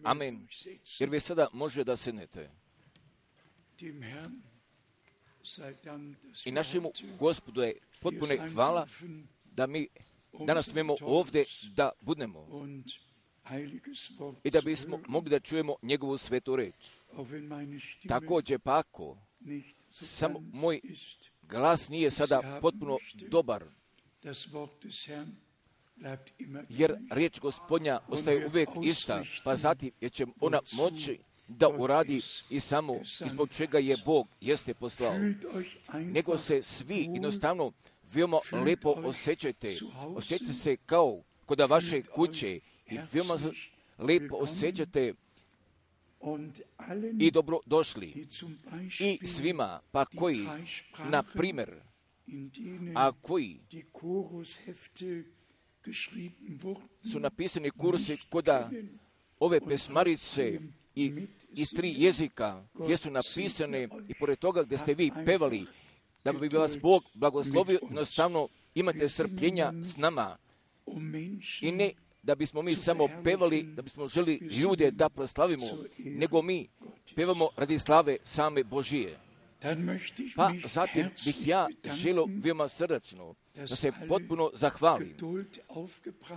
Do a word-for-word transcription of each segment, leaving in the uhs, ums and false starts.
Amen. Jer vi sada može da sednete. I našemu Gospodu je potpuno hvala da mi danas smemo ovdje da budemo i da bismo mogli da čujemo njegovu svetu reč. Također pa ako samo moj glas nije sada potpuno dobar, jer riječ Gospodnja ostaje uvijek ista, pa zatim jer će ona moći da uradi i samo ispod čega je Bog jeste poslao. Nego se svi jednostavno veoma lepo osjećajte. Osjećajte se kao kod vaše kuće i veoma lepo osjećate i dobro došli. I svima, pa koji, na primjer, a koji su napisani kursi koda ove pesmarice i iz tri jezika gdje su napisane i pored toga gdje ste vi pevali, da bi vas Bog blagoslovio, jednostavno imate strpljenja s nama i ne da bismo mi samo pevali, da bismo želi ljude da proslavimo, nego mi pevamo radi slave same Božije. Pa zatim bih ja želio veoma srdačno da se potpuno zahvalim,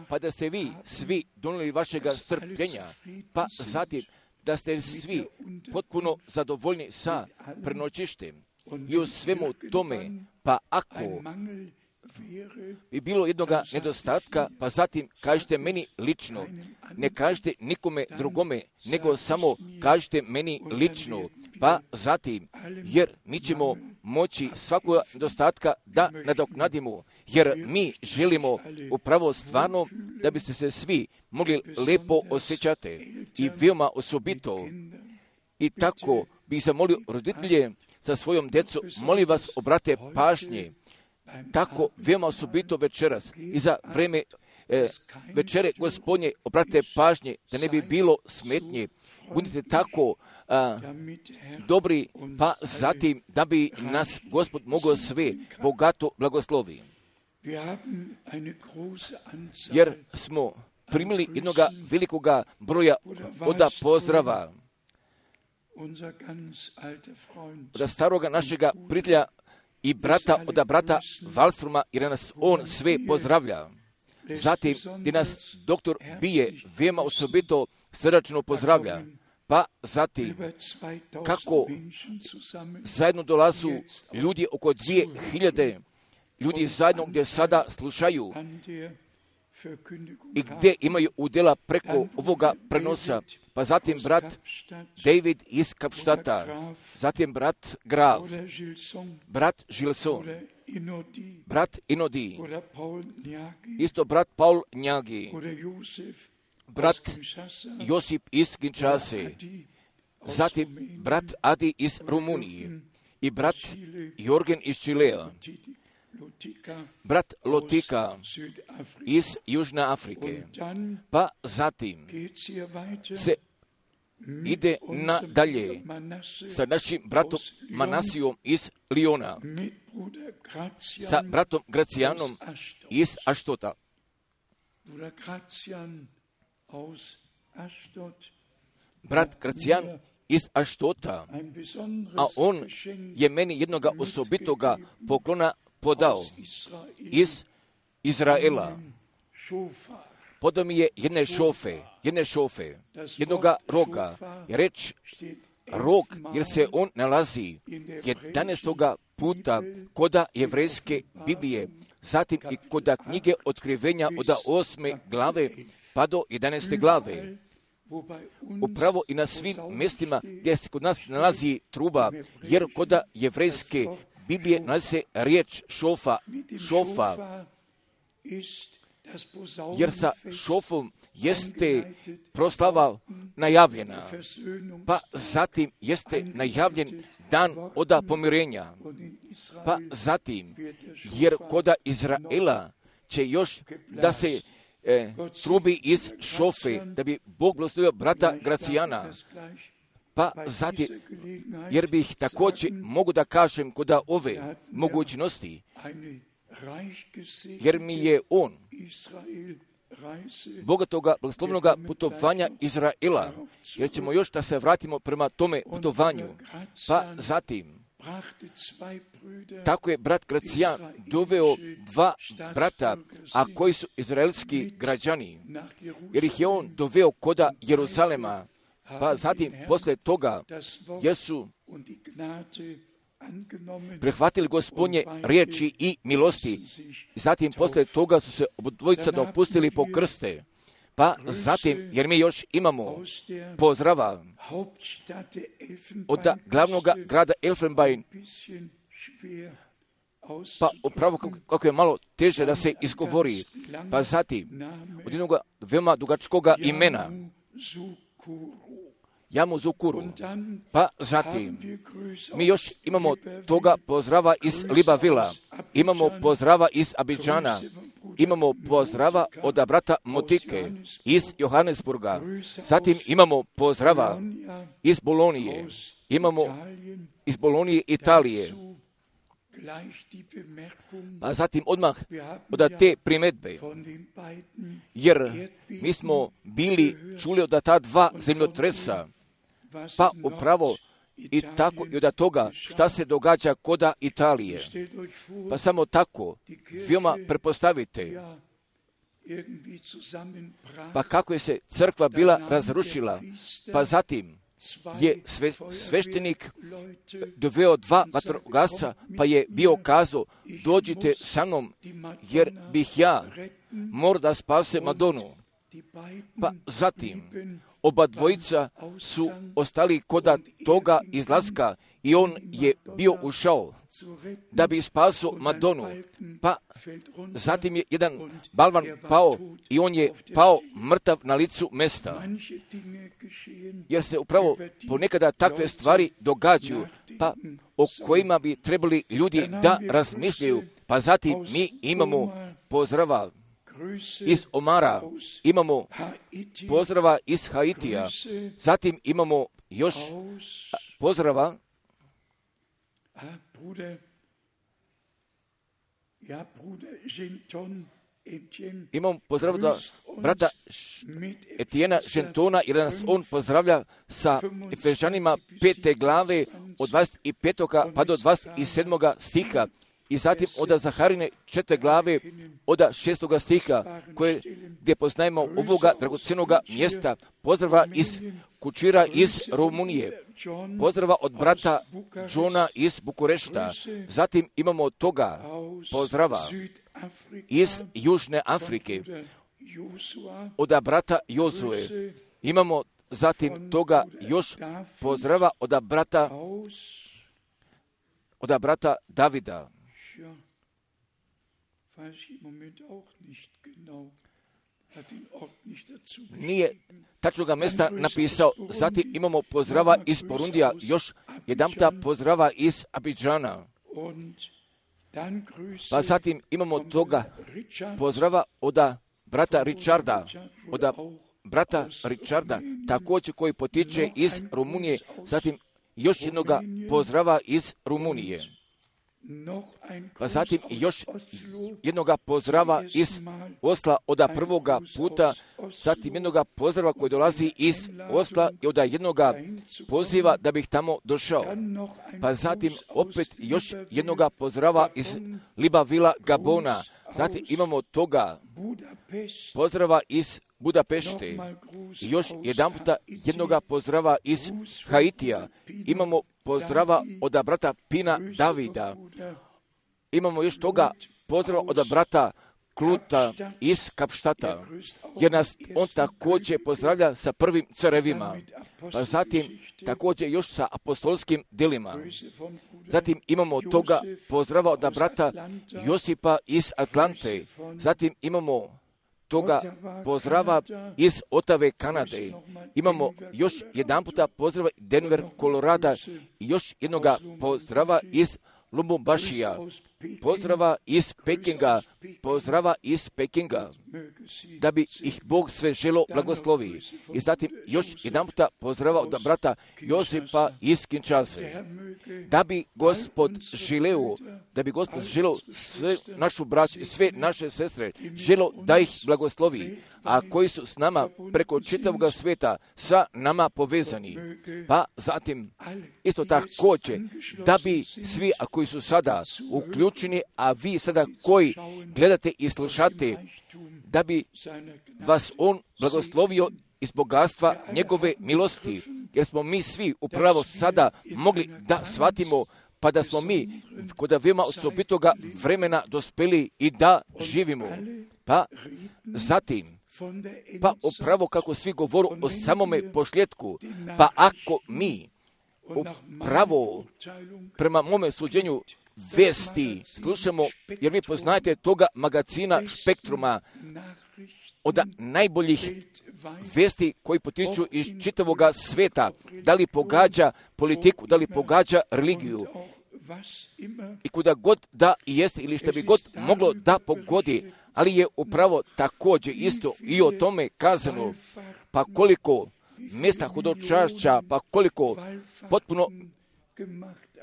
pa da ste vi svi donijeli vašega strpljenja, pa zatim da ste svi potpuno zadovoljni sa prenoćištem i u svemu tome, pa ako bi bilo jednoga nedostatka, pa zatim kažete meni lično, ne kažete nikome drugome, nego samo kažete meni lično, pa zatim, jer mi ćemo moći svakog nedostatka da nadoknadimo, jer mi želimo upravo stvarno da biste se svi mogli lepo osjećati i veoma osobito. I tako bih zamolio roditelje sa svojom djecom, molim vas obrate pažnje, tako veoma osobito večeras i za vreme e, večere Gospodnje obrate pažnje da ne bi bilo smetnje. Budite tako a, dobri, pa zatim da bi nas Gospod mogao sve bogato blagoslovi. Jer smo primili jednog velikoga broja oda pozdrava od staroga našega prijatelja i brata, od brata Valstruma, jer nas on sve pozdravlja. Zatim, gdje nas doktor Bije veoma osobito srdačno pozdravlja. Pa zatim, kako zajedno dolazu ljudi oko dvije hiljade ljudi zajedno gdje sada slušaju i gdje imaju udjela preko ovoga prenosa. Pa zatim brat David iz Kapštata, zatim brat Graf, brat Žilson, brat Inodi, isto brat Paul Njagi, brat Josip iz Kinshase, zatim brat Adi iz Rumunije i brat Jorgen iz Čilea, brat Lotika iz Južne Afrike. Pa zatim se ide nadalje sa našim bratom Manasijom iz Liona, sa bratom Gracijanom iz Aštota. Brat Gracijan iz Aštota, a on je meni jednoga osobitoga poklona podao iz Izraela. Podao mi je jedne šofe, jedne šofe, jednoga roga. Je reč rog, jer se on nalazi jedanaestoga puta koda jevrejske Biblije, zatim i koda knjige Otkrivenja od osme glave pa do jedanaeste glave. Upravo i na svim mjestima gdje se kod nas nalazi truba, jer koda jevrejske Biblije nalazi se riječ šofa, šofa, jer sa šofom jeste proslava najavljena, pa zatim jeste najavljen dan oda pomirenja, pa zatim, jer koda Izraela će još da se e, trubi iz šofe, da bi Bog blagoslovio brata Gracijana. Pa zatim, jer bih također mogu da kažem koda ove mogućnosti, jer mi je on bogatoga, blagoslovnog putovanja Izraela, jer ćemo još da se vratimo prema tome putovanju. Pa zatim, tako je brat Gracijan doveo dva brata, a koji su izraelski građani, jer ih je on doveo koda Jeruzalema. Pa zatim, posle toga, jer su prihvatili Gospodnje riječi i milosti. Zatim, posle toga su se obodvojica dopustili po krste. Pa zatim, jer mi još imamo pozdrava od glavnog grada Elfenbein, pa upravo kako je malo teže da se izgovori. Pa zatim, od jednog veoma dugačkoga imena, Jamuzukuru. Pa zatim, mi još imamo toga pozdrava iz Libavila, imamo pozdrava iz Abidžana, imamo pozdrava od brata Motike iz Johannesburga, zatim imamo pozdrava iz Bolonije, imamo iz Bolonije Italije. Pa zatim odmah od te primedbe, jer mi smo bili čuli od ta dva zemljotresa, pa upravo i tako i od toga šta se događa koda Italije. Pa samo tako, veoma prepostavite, pa kako je se crkva bila razrušila, pa zatim je sve, sveštenik doveo dva vatrogasca, pa je bio kazao, dođite sa mnom, jer bih ja mora da spase Madonu. Pa zatim, oba dvojica su ostali koda toga izlaska i on je bio ušao da bi spasio Madonu. Pa zatim je jedan balvan pao i on je pao mrtav na licu mesta. Jer se upravo ponekada takve stvari događaju, pa o kojima bi trebali ljudi da razmišljaju. Pa zatim mi imamo pozdrava iz Omara, imamo pozdrava iz Haitija, zatim imamo još pozdrava imamo pozdrav da brata Etijena Žentona, jer nas on pozdravlja sa Efežanima pete glave od dvadeset petog pa do dvadeset sedmog stiha. I zatim od Zaharine četvrte glave od šestoga stiha, koje, gdje poznajemo ovoga dragocenoga mjesta, pozdrava iz Kučira iz Rumunije, pozdrava od brata Johna iz Bukurešta, zatim imamo toga pozdrava iz Južne Afrike, od brata Jozue, imamo zatim toga još pozdrava od brata, od brata Davida. Nije tačnoga mjesta napisao. Zatim imamo pozdrava iz Porundija, još jedanputa pozdrava iz Abidžana. Pa zatim imamo toga pozdrava od brata Richarda, od brata Richarda, također koji potiče iz Rumunije, zatim još jednoga pozdrava iz Rumunije. Pa zatim još jednoga pozdrava iz Osla od prvoga puta, zatim jednoga pozdrava koji dolazi iz Osla i od jednoga poziva da bih tamo došao. Pa zatim opet još jednoga pozdrava iz Libavila, Gabona. Zatim imamo toga pozdrava iz Budapešte i još jedan puta jednoga pozdrava iz Haitija. Imamo pozdrava od brata Pina Davida. Imamo još toga pozdrava od brata Kluta iz Kapštata, jer nas on također pozdravlja sa prvim carevima, pa zatim također još sa apostolskim djelima. Zatim imamo toga pozdrava od brata Josipa iz Atlante, zatim imamo toga pozdrava iz Otave, Kanade. Imamo još jedan puta pozdrava Denver, Kolorada i još jednoga pozdrava iz Lubumbašija. pozdrava iz Pekinga, pozdrava iz Pekinga, da bi ih Bog sve želo blagoslovi. I zatim još jedan puta pozdrava od brata Josipa iz Kinshase, da bi Gospod želeo, da bi Gospod želeo sve našu braću, sve naše sestre, želo da ih blagoslovi, a koji su s nama preko čitavog svijeta sa nama povezani. Pa zatim isto također da bi svi a koji su sada uključeni, a vi sada koji gledate i slušate, da bi vas on blagoslovio iz bogatstva njegove milosti, jer smo mi svi upravo sada mogli da shvatimo, pa da smo mi kod veoma osobitoga vremena dospeli i da živimo. Pa zatim, pa upravo kako svi govoru o samome pošljetku, pa ako mi upravo prema mome suđenju vesti slušamo, jer vi poznajete toga magazina Spektruma, od najboljih vesti koji potiču iz čitavoga sveta, da li pogađa politiku, da li pogađa religiju, i kuda god da jeste ili što bi god moglo da pogodi, ali je upravo također isto i o tome kazano, pa koliko mjesta hodočašća, pa koliko potpuno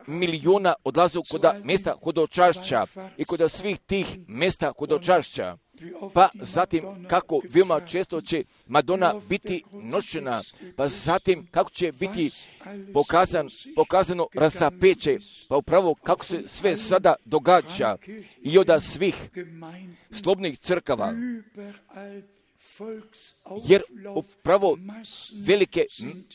milijuna odlazu kod mjesta hodočašća i kod svih tih mjesta hodočašća. Pa zatim kako veoma često će Madonna biti nošena, pa zatim kako će biti pokazan, pokazano rasapeće, pa upravo kako se sve sada događa i od svih slobodnih crkava. Jer upravo velike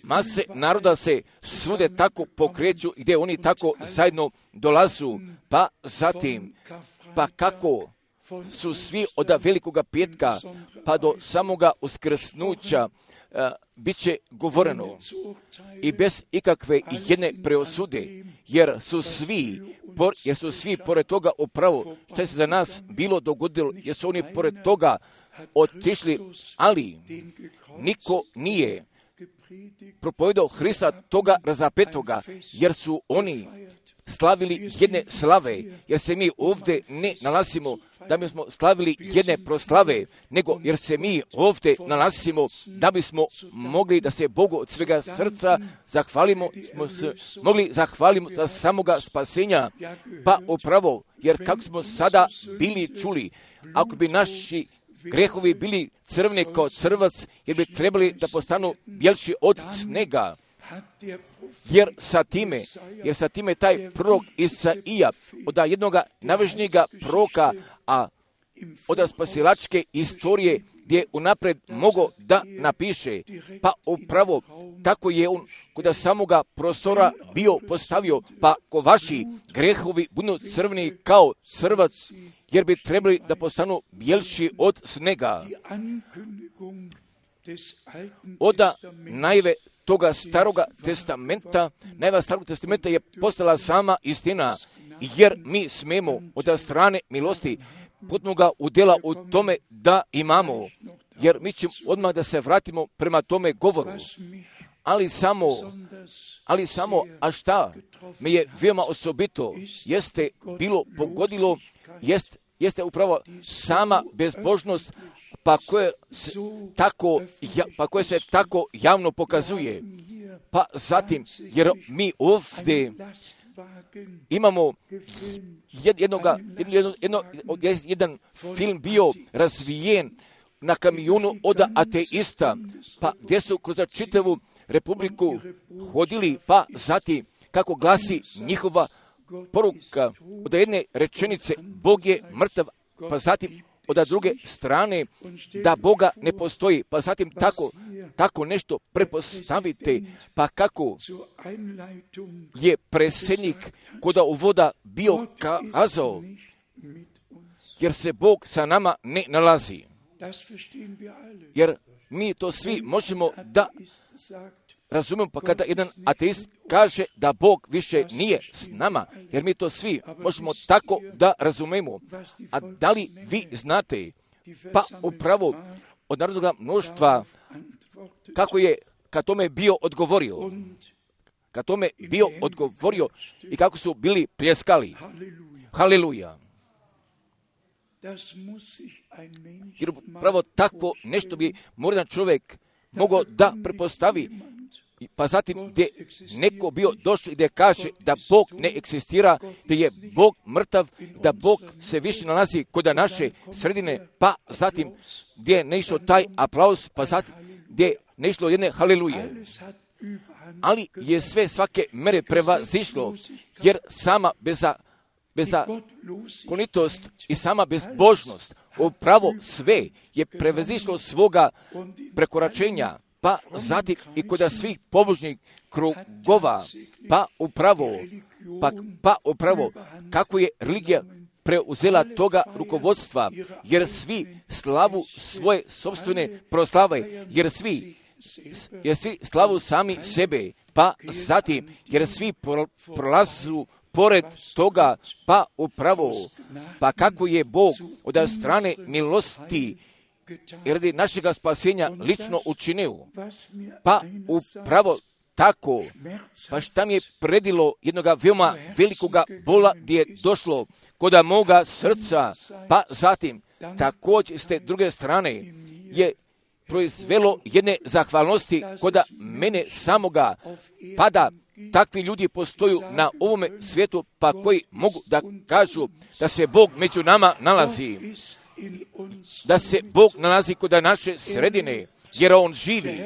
mase naroda se svude tako pokreću, gdje oni tako zajedno dolazu, pa zatim, pa kako su svi od velikoga petka pa do samoga uskrsnuća uh, bit će govoreno i bez ikakve jedne preosude, jer su svi, por, jer su svi pored toga upravo što je se za nas bilo dogodilo, jer su oni pored toga otišli, ali niko nije propovedao Hrista toga razapetoga, jer su oni slavili jedne slave, jer se mi ovdje ne nalazimo da bismo slavili jedne proslave, nego jer se mi ovdje nalazimo da bismo mogli da se Bogu od svega srca zahvalimo, smo se mogli zahvalimo za samoga spasenja, pa upravo, jer kako smo sada bili čuli, ako bi naši grehovi bili crveni kao crvac, jer bi trebali da postanu bjelši od snega. Jer sa time, jer sa time taj prorok Isaija, od jednoga najvažnijega proroka, a od spasilačke istorije, gdje unapred mogo da napiše, pa upravo tako je on kod samoga prostora bio postavio, pa ko vaši grehovi budu crveni kao crvac, jer bi trebali da postanu bjelši od snega. Oda najve toga staroga testamenta, najva starog testamenta je postala sama istina, jer mi smemo od strane milosti potpunoga udjela u tome da imamo, jer mi ćemo odmah da se vratimo prema tome govoru. Ali samo, ali samo, a šta me je veoma osobito, jeste bilo pogodilo, jest, jeste upravo sama bezbožnost, pa koje se tako, ja, pa koje se tako javno pokazuje. Pa zatim, jer mi ovdje imamo jednoga, jedno, jedno, jedan film bio razvijen na kamionu od ateista, pa gdje su kroz čitavu Republiku hodili, pa zatim kako glasi njihova poruka od jedne rečenice, Bog je mrtav, pa zatim od druge strane da Boga ne postoji, pa zatim tako, tako nešto prepostavite, pa kako je predsjednik kod uvoda bio kazao, jer se Bog sa nama ne nalazi. Jer mi to svi možemo da razumijemo, pa kada jedan ateist kaže da Bog više nije s nama, jer mi to svi možemo tako da razumijemo. A da li vi znate, pa upravo od narodnog mnoštva, kako je kad tome bio odgovorio, kad tome bio odgovorio i kako su bili pljeskali. Haleluja. Jer pravo takvo nešto bi možda čovjek mogao da prepostavi, pa zatim gdje neko bio došao i da kaže da Bog ne eksistira, da je Bog mrtav, da Bog se više nalazi kod naše sredine, pa zatim gdje je neišao taj aplauz, pa zatim gdje je neišlo jedne haleluje. Ali je sve svake mere prevazišlo, jer sama beza, bezakonitost i sama bezbožnost, upravo sve je prevazišlo svoga prekoračenja, pa zatim i kod svih pobožnih krugova, pa upravo, pa, pa upravo kako je religija preuzela toga rukovodstva, jer svi slavu svoje sopstvene proslave, jer svi, jer svi slavu sami sebe, pa zatim, jer svi prolazu pored toga, pa upravo, pa kako je Bog od strane milosti i radi našega spasenja lično učinio, pa upravo tako, pa šta mi je predilo jednoga veoma velikoga bola gdje je došlo koda moga srca, pa zatim također s te druge strane je proizvelo jedne zahvalnosti koda mene samoga, pa da takvi ljudi postoju na ovome svijetu, pa koji mogu da kažu da se Bog među nama nalazi, da se Bog nalazi kod naše sredine, jer On živi,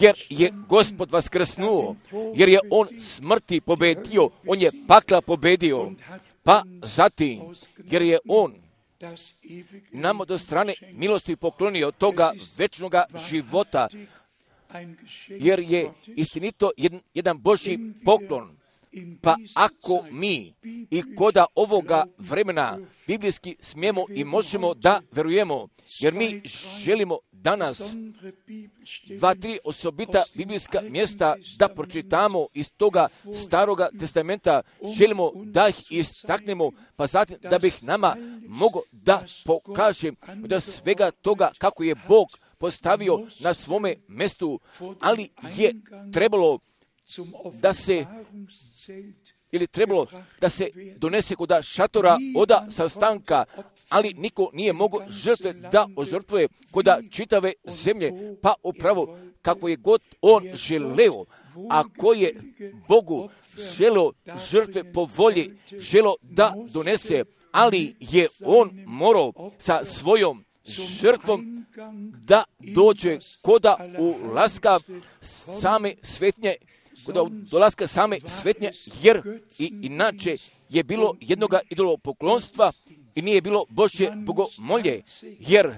jer je Gospod vaskrsnuo, jer je On smrti pobedio, On je pakla pobedio, pa zatim, jer je On nam od strane milosti poklonio toga večnoga života, jer je istinito jedan, jedan Božji poklon. Pa ako mi i koda ovoga vremena biblijski smijemo i možemo da verujemo, jer mi želimo danas dva, tri osobita biblijska mjesta da pročitamo iz toga staroga testamenta, želimo da ih istaknemo, pa zatim da bih nama mogao da pokažem da svega toga kako je Bog postavio na svome mjestu, ali je trebalo da se ili trebalo da se donese kod šatora oda sastanka, ali niko nije mogao žrtve da ožrtvuje kod čitave zemlje, pa upravo kako je god on želeo, a ko je Bogu želeo žrtve po volji, želeo da donese, ali je on morao sa svojom žrtvom da dođe koda ulaska same svetnje, kod dolaska same svetnje, jer i inače je bilo jednoga idolopoklonstva i nije bilo Božje bogomolje, jer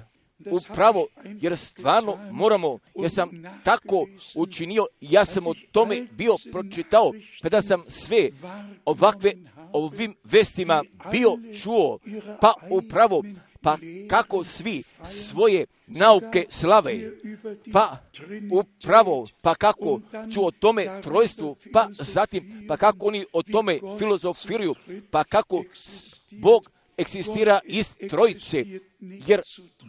upravo, jer stvarno moramo, jer sam tako učinio, ja sam o tome bio pročitao, kada sam sve ovakve ovim vestima bio čuo, pa upravo, pa kako svi svoje nauke slave, pa upravo, pa kako ću o tome trojstvu, pa zatim, pa kako oni o tome filozofiraju, pa kako Bog eksistira iz trojice, jer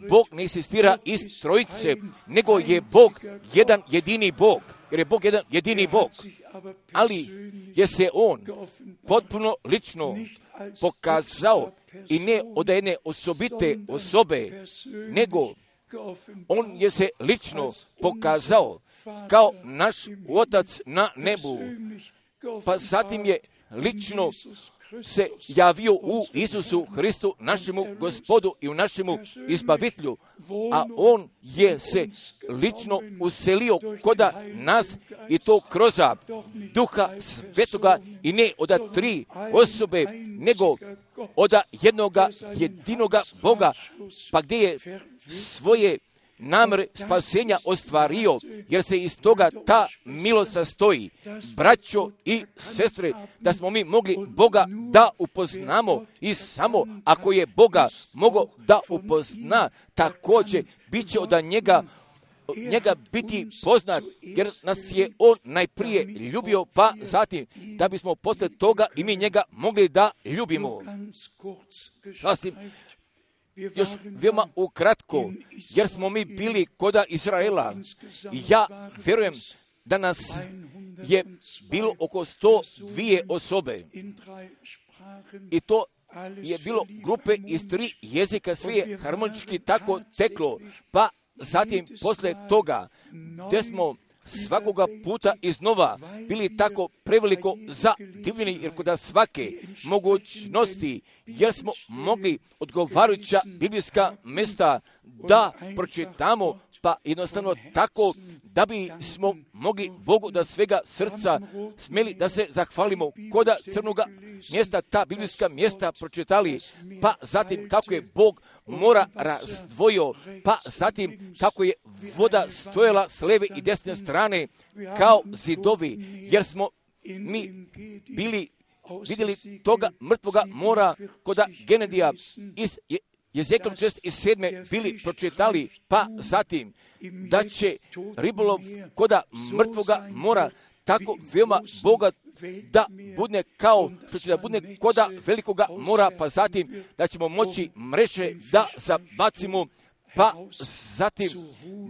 Bog ne eksistira iz trojice, nego je Bog jedan jedini Bog, jer je Bog jedan jedini Bog, ali je se On potpuno lično pokazao i ne od jedne osobite osobe, nego on je se lično pokazao kao naš Otac na nebu, pa zatim je lično se javio u Isusu Hristu, našemu Gospodu i u našemu Izbavitelju, a on je se lično uselio koda nas i to kroz Duha Svetoga i ne od tri osobe, nego od jednoga jedinoga Boga, pa gdje je svoje namere spasenja ostvario, jer se iz toga ta milost sastoji, braćo i sestre, da smo mi mogli Boga da upoznamo i samo ako je Boga mogao da upozna, također bit će od njega njega biti poznat, jer nas je on najprije ljubio, pa zatim da bismo posle toga i mi njega mogli da ljubimo. Sasvim još veoma ukratko, jer smo mi bili koda Izraela. Ja vjerujem da nas je bilo oko sto dvije osobe i to je bilo grupe iz tri jezika, sve je harmonički tako teklo, pa zatim posle toga, gdje smo svakoga puta iznova bili tako preveliko zadivljeni, jer kod svake mogućnosti, jer smo mogli odgovarajuća biblijska mjesta da pročitamo, pa jednostavno tako da bi smo mogli Bogu da svega srca smjeli da se zahvalimo koda crnoga mjesta, ta biblijska mjesta pročitali, pa zatim kako je Bog mora razdvojio, pa zatim kako je voda stojala s leve i desne strane kao zidovi, jer smo mi bili vidjeli toga mrtvoga mora koda Genedija iz Jezekiel četrdeset sedam bili pročitali, pa zatim da će ribolov koda mrtvoga mora tako veoma bogat da bude kao što će da bude koda velikoga mora, pa zatim da ćemo moći mreže da zabacimo, pa zatim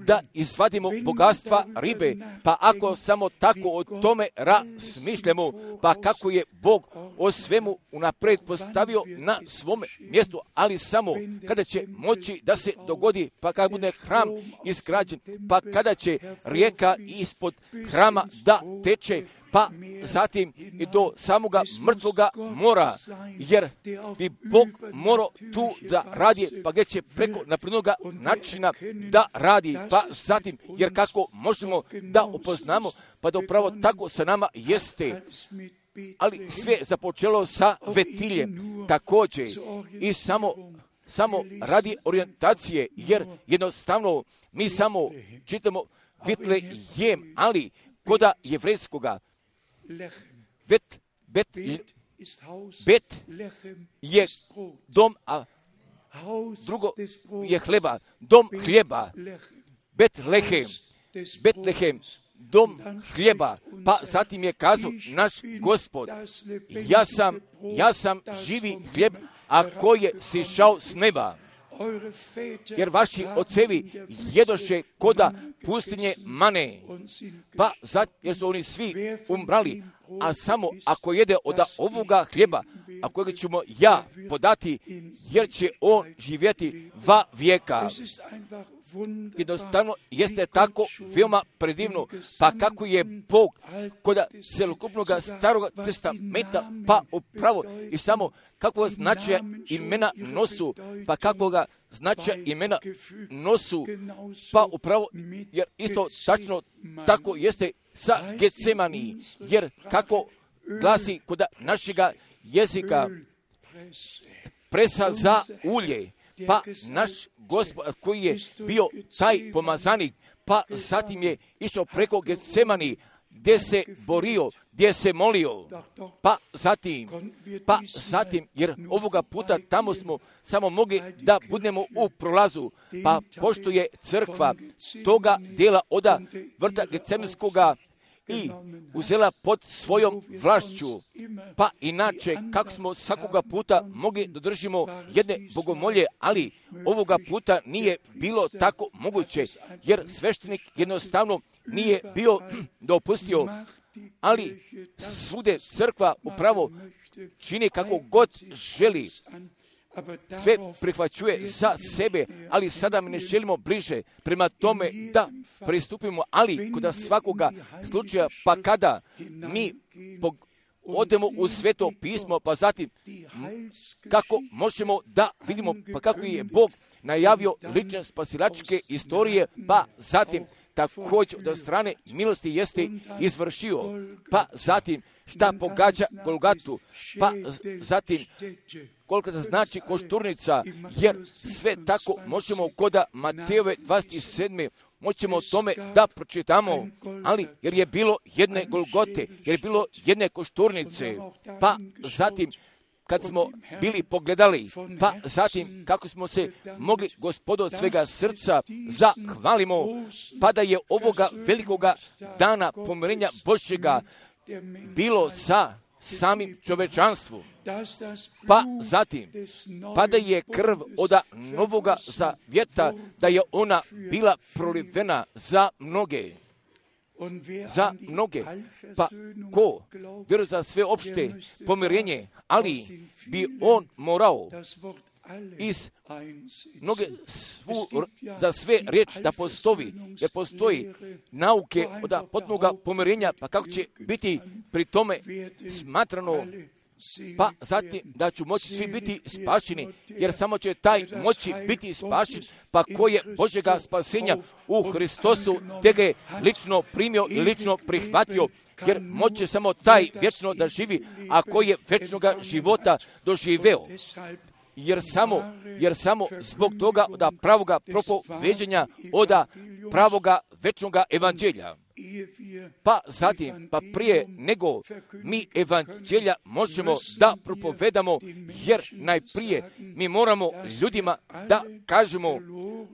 da izvadimo bogatstva ribe, pa ako samo tako o tome razmišljamo, pa kako je Bog o svemu unapred postavio na svome mjestu, ali samo kada će moći da se dogodi, pa kada bude hram izgrađen, pa kada će rijeka ispod hrama da teče, pa zatim i do samoga mrtvoga mora, jer bi Bog morao tu da radi, pa gdje će preko naprednoga načina da radi, pa zatim, jer kako možemo da upoznamo, pa da upravo tako sa nama jeste, ali sve započelo sa vetiljem također i samo samo radi orijentacije, jer jednostavno mi samo čitamo Vitlejem, ali koda jevrejskoga Bet, bet, bet je dom, a drugo je hleba, dom hljeba, Betlehem, Betlehem, dom hljeba, pa zatim je kazao naš Gospod, ja sam, ja sam živi hljeb, a koji je sišao s neba. Jer vaši ocevi jedoše koda pustinje mane, pa zato jer su oni svi umrali, a samo ako jede od ovoga hljeba, a kojega ćemo ja podati, jer će on živjeti va vijeka. Jednostavno jeste tako veoma predivno, pa kako je Bog koda celokupnog starog testamenta, pa upravo i samo kakvog značaja imena nosu, pa kakvoga značaja imena nosu, pa upravo, jer isto tačno tako jeste sa Getsemani, jer kako glasi koda našega jezika presa za ulje, pa naš Gospod koji je bio taj pomazanik, pa zatim je išao preko Getsemani, gdje se borio, gdje se molio, pa zatim, pa zatim, jer ovoga puta tamo smo samo mogli da budemo u prolazu, pa pošto je crkva toga dijela oda vrta Getsemanskoga i uzela pod svojom vlašću, pa inače kako smo svakoga puta mogli da držimo jedne bogomolje, ali ovoga puta nije bilo tako moguće, jer sveštenik jednostavno nije bio dopustio, ali svude crkva upravo čini kako god želi, sve prihvaćuje za sebe, ali sada mi ne želimo bliže prema tome da pristupimo, ali kod svakoga slučaja, pa kada mi odemo u sveto pismo, pa zatim kako možemo da vidimo, pa kako je Bog najavio lične spasilačke istorije, pa zatim također da strane milosti jeste izvršio, pa zatim šta pogađa Golgatu, pa zatim koliko da znači košturnica, jer sve tako možemo koda Matejove dvadeset sedam moćemo o tome da pročitamo, ali jer je bilo jedne Golgote, jer je bilo jedne košturnice, pa zatim kad smo bili pogledali, pa zatim kako smo se mogli Gospodu od svega srca zahvalimo, pa da je ovoga velikoga dana pomirenja Božjega bilo sa samim čovečanstvom, pa zatim, pa da je krv od novoga zavjeta, da je ona bila prolivena za mnoge. za mnoge. Pa ko vjeruje za sve opšte pomirenje, ali bi on morao iz mnoge svu, za sve riječ da postoji, jer postoji nauke od potpunoga pomirenja, pa kako će biti pri tome smatrano, pa zatim da ću moći svi biti spašeni, jer samo će taj moći biti spašen, pa ko je Božjega spasenja u Hristosu, te ga je lično primio i lično prihvatio, jer moće samo taj vječno da živi, a ko je vječnoga života doživeo. Jer samo, jer samo zbog toga da pravoga propoveđenja oda pravoga večnoga evanđelja. Pa zatim, pa prije nego mi evanđelja možemo da propovedamo, jer najprije mi moramo ljudima da kažemo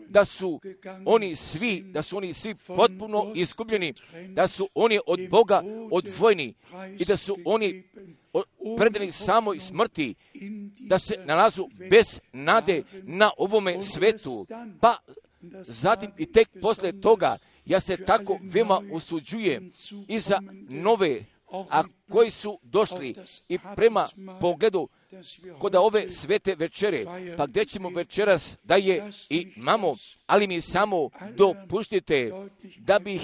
da su oni svi, da su oni svi potpuno izgubljeni, da su oni od Boga odvojeni i da su oni predani samoj smrti, da se nalazu bez nade na ovome svetu. Pa zatim i tek posle toga ja se tako veoma usuđujem i za nove, a koji su došli i prema pogledu kod ove svete večere, pa gdje ćemo večeras da je i imamo, ali mi samo dopuštite da bih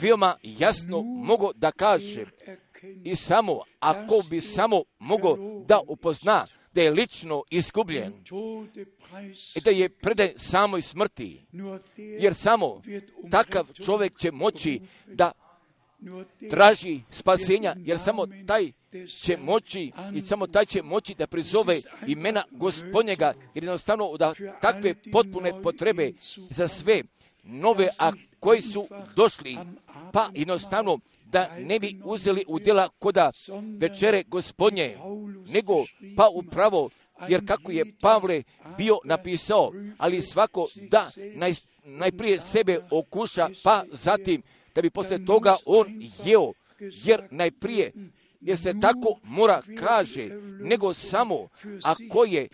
veoma jasno mogao da kažem i samo, ako bi samo mogao da upozna da je lično izgubljen i da je predan samoj smrti, jer samo takav čovjek će moći da traži spasenja, jer samo taj će moći i samo taj će moći da prizove imena Gospodnjega, jer jednostavno da takve potpune potrebe za sve nove, a koji su došli, pa jednostavno da ne bi uzeli u djela koda večere Gospodnje, nego pa upravo, jer kako je Pavle bio napisao, ali svako da naj, najprije sebe okuša, pa zatim da bi posle toga on jeo, jer najprije, jer se tako mora kaže, nego samo ako je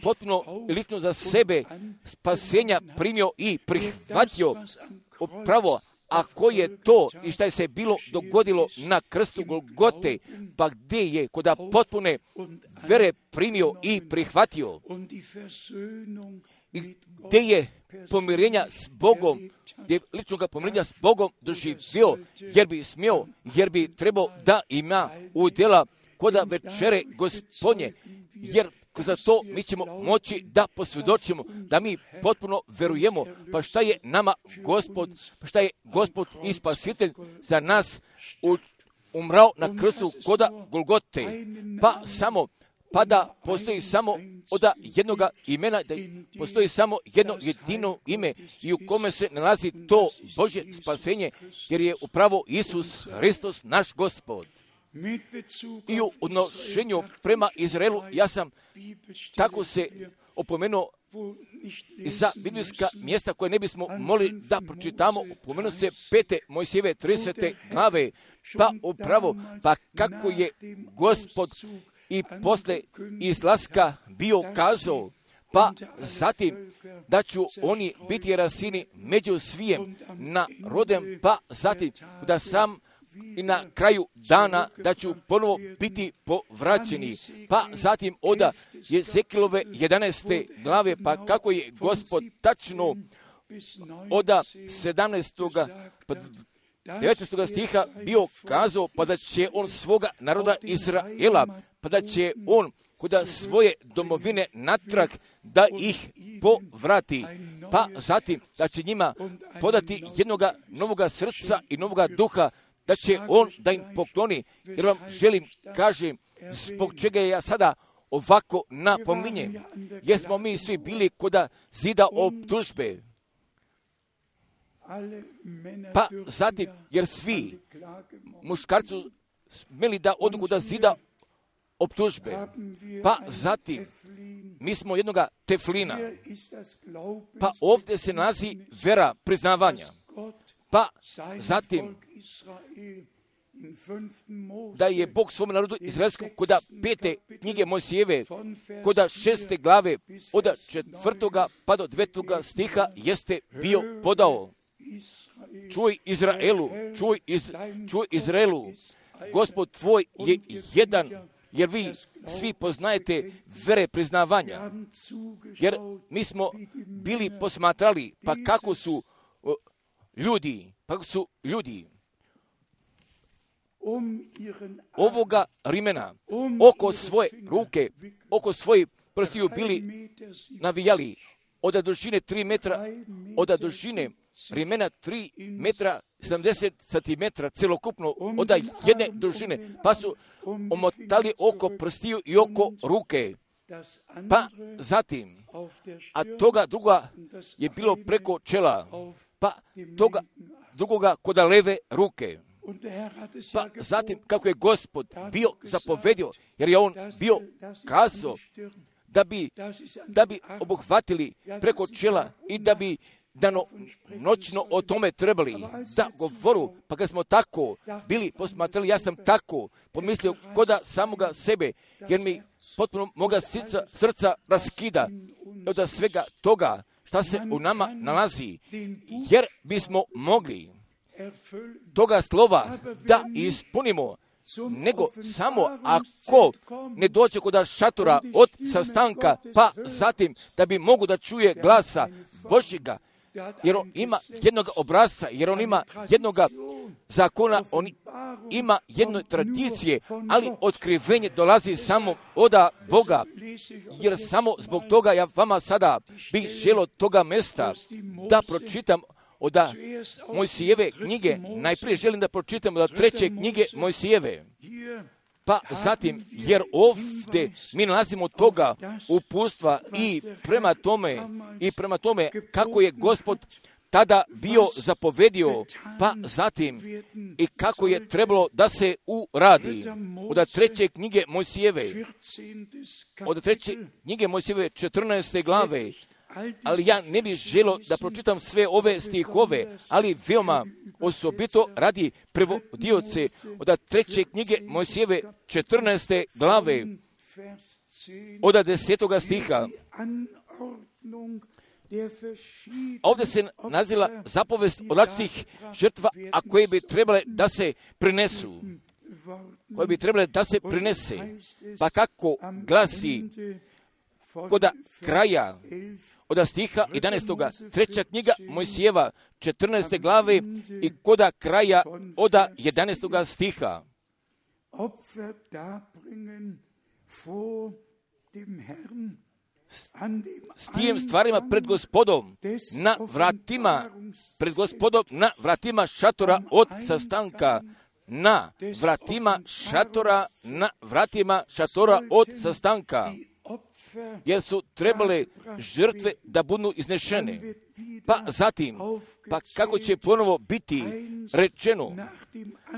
potpuno lično za sebe spasenja primio i prihvatio upravo, a ko je to i šta je se bilo dogodilo na krstu Golgote, pa gdje je koda potpune vere primio i prihvatio, i gdje je pomirenja s Bogom, gdje je ličnoga pomirenja s Bogom doživio, jer bi smio, jer bi trebao da ima udjela koda večere Gospodnje, jer za to mi ćemo moći da posvjedočimo, da mi potpuno verujemo, pa šta je nama Gospod, pa šta je Gospod i Spasitelj za nas umrao na krstu koda Golgote, pa samo, pa da postoji samo od jednoga imena, da postoji samo jedno jedino ime i u kome se nalazi to Božje spasenje, jer je upravo Isus Hristos naš Gospod. I u odnošenju prema Izraelu, ja sam tako se opomenuo za biblijska mjesta koje ne bismo mogli da pročitamo, opomenuo se pete Mojsijeve tridesete glave, pa upravo, pa kako je Gospod i posle izlaska bio kazao, pa zatim da ću oni biti rasini među svijem narodem, pa zatim da sam i na kraju dana da ću ponovo biti povraćeni. Pa zatim oda Jezekilove jedanaeste glave, pa kako je Gospod tačno oda sedamnaestog pa devetnaestog stiha bio kazao, pa da će on svoga naroda Izraela, pa da će on kuda svoje domovine natrag da ih povrati, pa zatim da će njima podati jednoga novoga srca i novoga duha, da će on da im pokloni, jer vam želim, kažem, zbog čega ja sada ovako napominjem, jer smo mi svi bili koda zida optužbe. Pa zatim, jer svi muškarci smeli da odu da zida optužbe. Pa zatim, mi smo jednoga teflina. Pa ovdje se nalazi vera priznavanja. Pa zatim, da je Bog svom narodu izraelskom koda pete knjige Mojsijeve, koda šeste glave, od četvrtoga pa do devetoga stiha jeste bio podao. čuj Izraelu, čuj, iz, čuj Izraelu, Gospod tvoj je jedan, jer vi svi poznajete vere priznavanja. Jer mi smo bili posmatrali, pa kako su o, ljudi, pa kako su ljudi ovoga rimena oko svoje ruke, oko svojih prstiju bili navijali od dužine tri metra, od dužine rimena tri metra sedamdeset centimetra celokupno od jedne dužine, pa su omotali oko prstiju i oko ruke. Pa zatim, a toga druga je bilo preko čela, pa toga drugoga kod leve ruke. Pa zatim, kako je Gospod bio zapovedio, jer je on bio kazao da bi, da bi obuhvatili preko čela i da bi dano noćno o tome trebali da govoru, pa kad smo tako bili posmatrali, ja sam tako pomislio koda samoga sebe, jer mi potpuno moga srca, srca raskida od svega toga šta se u nama nalazi, jer bismo mogli toga slova da ispunimo, nego samo ako ne dođe kod šatora od sastanka, pa zatim da bi mogu da čuje glasa Božjega, jer on ima jednog obrazca, jer on ima jednog zakona, on ima jedne tradicije, ali otkrivenje dolazi samo od Boga, jer samo zbog toga ja vama sada bih želio toga mesta da pročitam od Mojsijeve knjige. Najprije želim da pročitam od treće knjige Mojsijeve. Pa zatim, jer ovdje mi nalazimo toga uputstva i prema tome, i prema tome kako je Gospod tada bio zapovedio, pa zatim i kako je trebalo da se uradi. Od treće knjige Mojsijeve, od treće knjige Mojsijeve četrnaeste glave, ali ja ne bih želio da pročitam sve ove stihove, ali veoma osobito radi prevodioce od treće knjige Mojsijeve četrnaeste glave, od desetoga stiha. Ovdje se naziva zapovest od različitih žrtva, a koje bi trebale da se prinesu. Koje bi trebale da se prinese. Pa kako glasi kod kraja od stiha jedanaestoga treća knjiga Mojsijeva četrnaeste glave i kod kraja od jedanaestoga stiha. S tim stvarima pred Gospodom na vratima, pred Gospodom na vratima šatora od sastanka, na vratima šatora, na vratima šatora od sastanka, jer su trebale žrtve da budu iznešene. Pa zatim, pa kako će ponovo biti rečeno,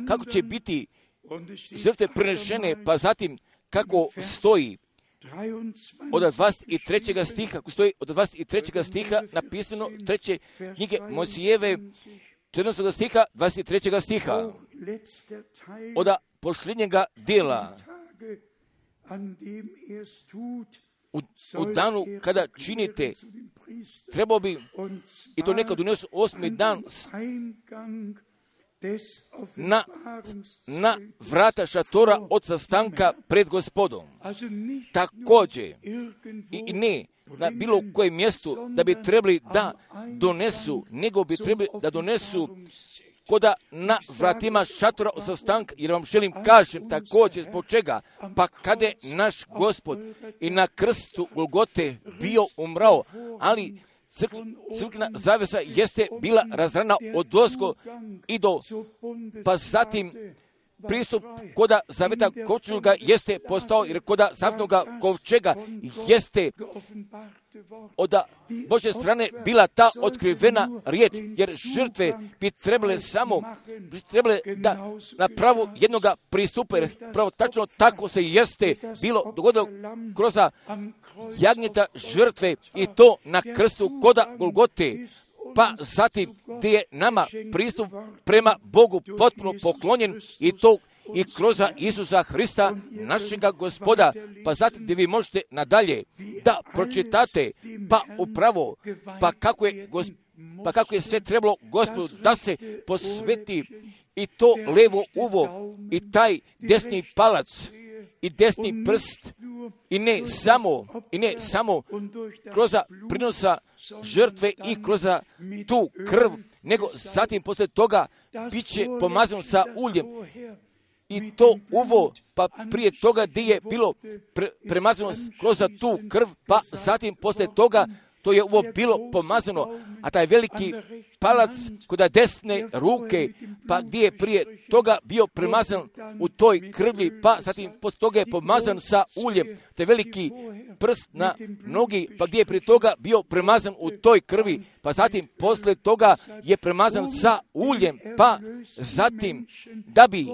kako će biti žrtve prenešene, pa zatim kako stoji od dvadeset trećeg stiha, kako stoji od dvadeset trećeg stiha napisano treće knjige Mojsijeve četrnaestog stiha, dvadeset trećeg stiha, od posljednjega dijela. U, u danu kada činite, trebao bi, i to nekad unesu osmi dan, na, na vrata šatora od sastanka pred Gospodom. Također, i ne na bilo kojem mjestu da bi trebali da donesu, nego bi trebali da donesu koda na vratima šatora od sastanka, jer vam želim kažem također zbog čega, pa kada je naš Gospod i na krstu Golgote bio umrao, ali crkvena zavesa jeste bila razrana od dosko i do, pa zatim pristup koda zaveta kovčega jeste postao, jer koda zavetnoga kovčega jeste od Božje strane bila ta otkrivena riječ, jer žrtve bi trebale samo trebale da na pravu jednoga pristupa, jer pravo tačno tako se jeste bilo dogodilo kroz jagnjeta žrtve i to na krstu koda Golgote, pa zatim gdje je nama pristup prema Bogu potpuno poklonjen i to i kroz Isusa Hrista, našega Gospoda, pa zatim gdje vi možete nadalje da pročitate, pa upravo, pa kako je pa kako je sve trebalo Gospodu da se posveti i to levo uvo i taj desni palac i desni prst i ne samo, i ne samo kroz prinosa žrtve i kroz tu krv, nego zatim posle toga bit će pomazano sa uljem. I to uvo, pa prije toga gdje je bilo pre, premazano kroz tu krv, pa zatim posle toga to je ovo bilo pomazano, a taj veliki palac kod desne ruke, pa gdje je prije toga bio premazan u toj krvlji, pa zatim posle toga je pomazan sa uljem, taj veliki prst na nogi, pa gdje je prije toga bio premazan u toj krvi, pa zatim posle toga je premazan sa uljem, pa zatim da bi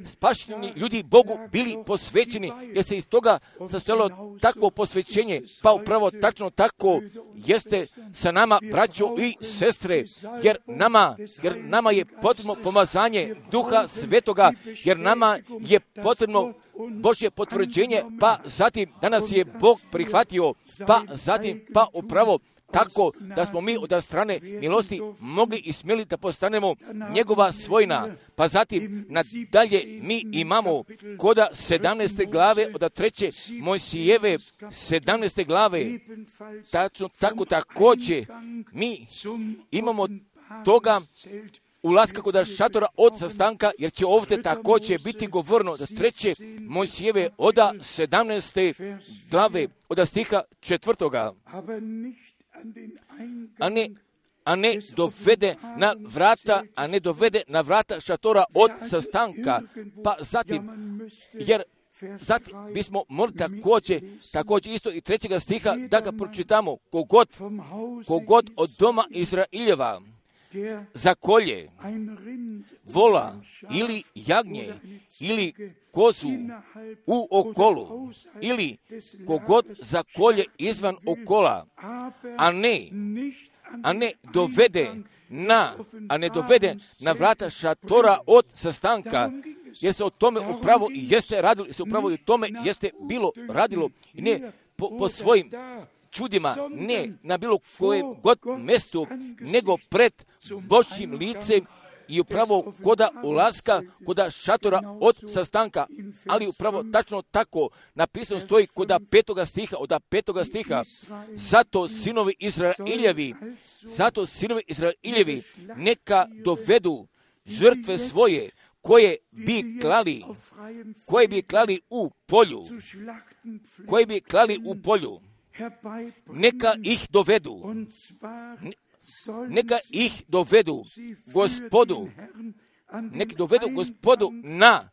spašeni ljudi Bogu bili posvećeni, jer se iz toga sastojalo takvo posvećenje, pa upravo tačno tako jeste sa nama, braćo i sestre, jer nama, jer nama je potrebno pomazanje Duha Svetoga, jer nama je potrebno Božje potvrđenje, pa zatim danas je Bog prihvatio, pa zatim pa upravo tako da smo mi od strane milosti mogli i smjeli da postanemo njegova svojina. Pa zatim nadalje mi imamo koda sedamnaeste glave od treće Mojsijeve sedamnaeste glave, tačno tako također mi imamo toga ulaska kod šatora od sastanka, jer će ovdje također biti govorno da treće Mojsijeve od sedamnaeste glave od stiha četvrtoga. A ne, a ne dovede na vrata, a ne dovede na vrata šatora od sastanka, pa zatim, jer zatim bismo morali također, također isto i trećega stiha da ga pročitamo, kogod, kogod od doma Izraeljeva zakolje vola ili jagnje ili kozu u okolu ili kogod zakolje izvan okola, a ne, a ne dovede na, a ne dovede na vrata šatora od sastanka, jer se o tome upravo i jeste radilo, jer se upravo i o tome jeste bilo radilo, i ne po, po svojim čudima, ne na bilo kojem god mjestu, nego pred Božjim licem i upravo koda ulaska, koda šatora od sastanka, ali upravo tačno tako napisano stoji koda petoga stiha, od petoga stiha, zato sinovi Izraeljevi, zato sinovi Izraeljevi neka dovedu žrtve svoje, koje bi klali, koje bi klali u polju, koje bi klali u polju, neka ih dovedu, neka ih dovedu Gospodu, neka dovedu Gospodu na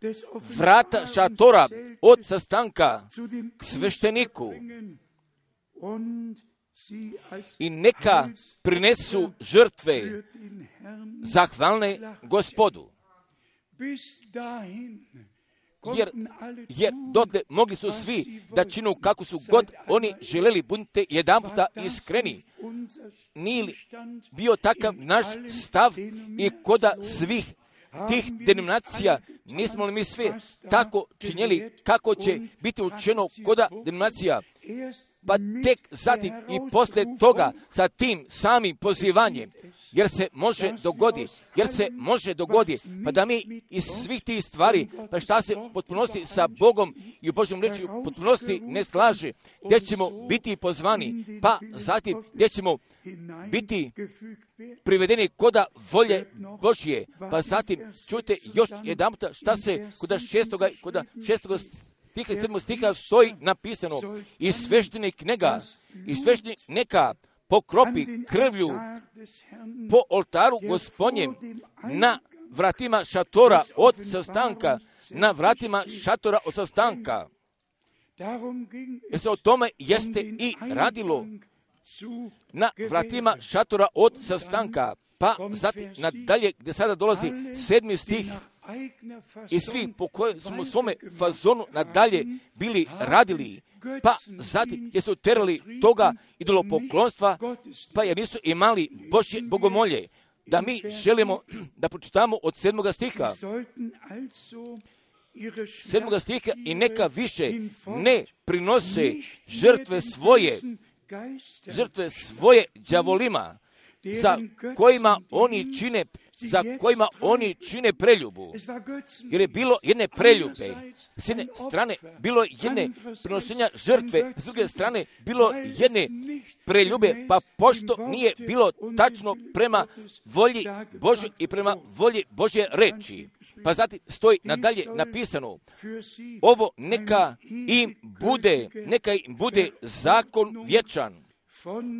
vrata šatora od sastanka k svešteniku i neka prinesu žrtve zahvalne Gospodu. Jer, jer dotle mogli su svi da činu kako su god oni želeli, budite jedan puta iskreni. Nije li bio takav naš stav i koda svih tih denominacija, nismo li mi sve tako činjeli kako će biti učeno koda denominacija? Pa tek zatim i poslije toga sa tim samim pozivanjem, jer se može dogoditi, jer se može dogoditi, pa da mi iz svih tih stvari, pa šta se potpunosti sa Bogom i u Božjom reči u potpunosti ne slaže, gdje ćemo biti pozvani, pa zatim gdje ćemo biti privedeni koda volje Božje, pa zatim čujte još jedan puta šta se koda šestoga, koda šestoga stiha i sedmog stiha stoji napisano, i sveštenik neka, i sveštenik neka pokropi krvlju po oltaru Gospodnjem na vratima šatora od sastanka, na vratima šatora od sastanka. Jer se o tome jeste i radilo na vratima šatora od sastanka. Pa zatim nadalje gdje sada dolazi sedmi stih, i svi po kojem smo u svome fazonu nadalje bili radili, pa zatim jer su terali toga idolopoklonstva, pa jer nisu imali Božje bogomolje, da mi želimo da pročitamo od sedmoga stiha. Sedmoga stiha, i neka više ne prinose žrtve svoje, žrtve svoje đavolima, za kojima oni čine za kojima oni čine preljubu. Jer je bilo jedne preljube, s jedne strane bilo jedne prinošenja žrtve, s druge strane bilo jedne preljube, pa pošto nije bilo tačno prema volji Božoj i prema volji Božje reči. Pa zatim stoji nadalje napisano, ovo neka im bude, neka im bude zakon vječan.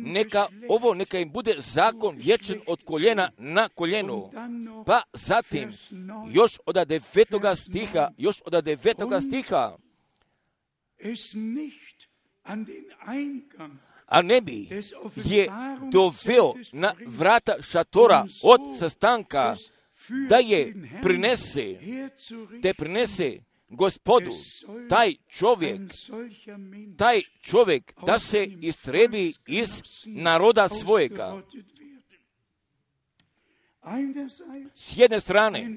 Neka ovo, neka im bude zakon vječan od koljena na koljenu. Pa zatim, još od devetoga stiha, još od devetoga stiha, a ne bi je doveo na vrata šatora od sastanka, da je prinese, te prinese Gospodu, taj čovjek, taj čovjek da se istrebi iz naroda svojega. S jedne strane,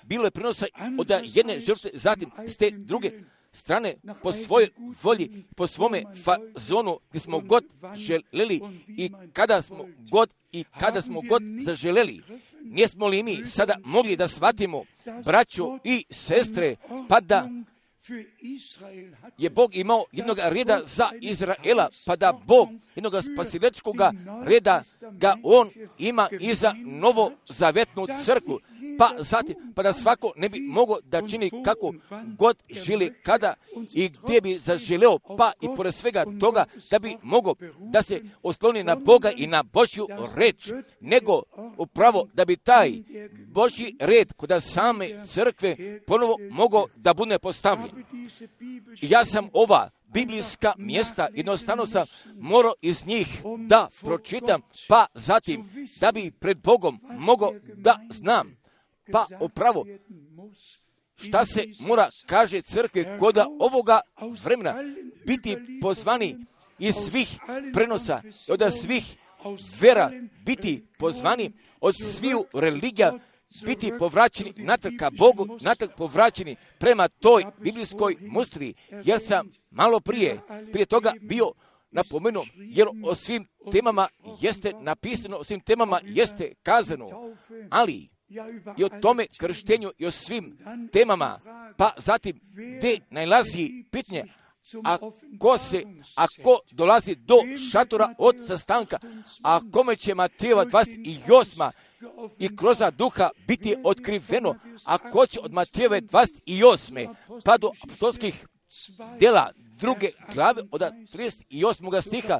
bilo je prinosa od jedne žrtve, zatim s te druge strane, po svojoj volji, po svome fazonu, gdje smo god želeli i kada smo god i kada smo god zaželeli. Nismo li mi sada mogli da shvatimo, braćo i sestre, pa da je Bog imao jednog reda za Izraela, pa da Bog jednog spasilačkog reda ga on ima i za novozavetnu crkvu, pa zatim, pa da svako ne bi mogao da čini kako god želi, kada i gdje bi zaželeo, pa i pored svega toga da bi mogao da se osloni na Boga i na Božju reč, nego upravo da bi taj Božji red kod same crkve ponovo mogao da bude postavljen. Ja sam ova biblijska mjesta, jednostavno sam morao iz njih da pročitam, pa zatim da bi pred Bogom mogao da znam, pa upravo šta se mora, kaže crkve, kod ovoga vremena biti pozvani iz svih prenosa, od svih vera biti pozvani, od sviju religija biti povraćeni natrag ka Bogu, natrag povraćeni prema toj biblijskoj mustri, jer sam malo prije, prije toga bio napomenuo, jer o svim temama jeste napisano, o svim temama jeste kazano, ali i o tome krštenju i o svim temama, pa zatim gdje najlazi pitanje, ako se, ako dolazi do šatora od sastanka, a kome će Matejeva dvadeset osma i kroz duha biti otkriveno, a ko će od Matejeve dvadeset osme pa do apostolskih djela druge glave od trideset osmog stiha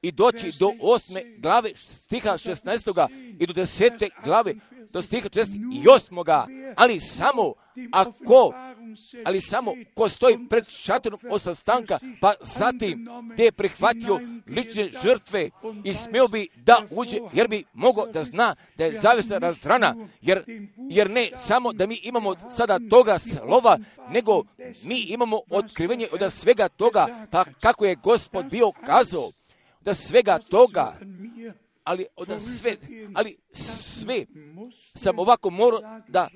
i doći do osme glave stiha šesnaestoga i do desete glave do stiha četrdeset osmoga ali samo ako ali samo ko stoji pred šatorom od sastanka, pa zatim gdje je prihvatio lične žrtve i smio bi da uđe, jer bi mogao da zna da je zavjesa razdrana, jer, jer ne samo da mi imamo sada toga slova, nego mi imamo otkrivenje od svega toga, pa kako je Gospod bio kazao, da svega toga, ali od sve, ali sve sam ovako morao da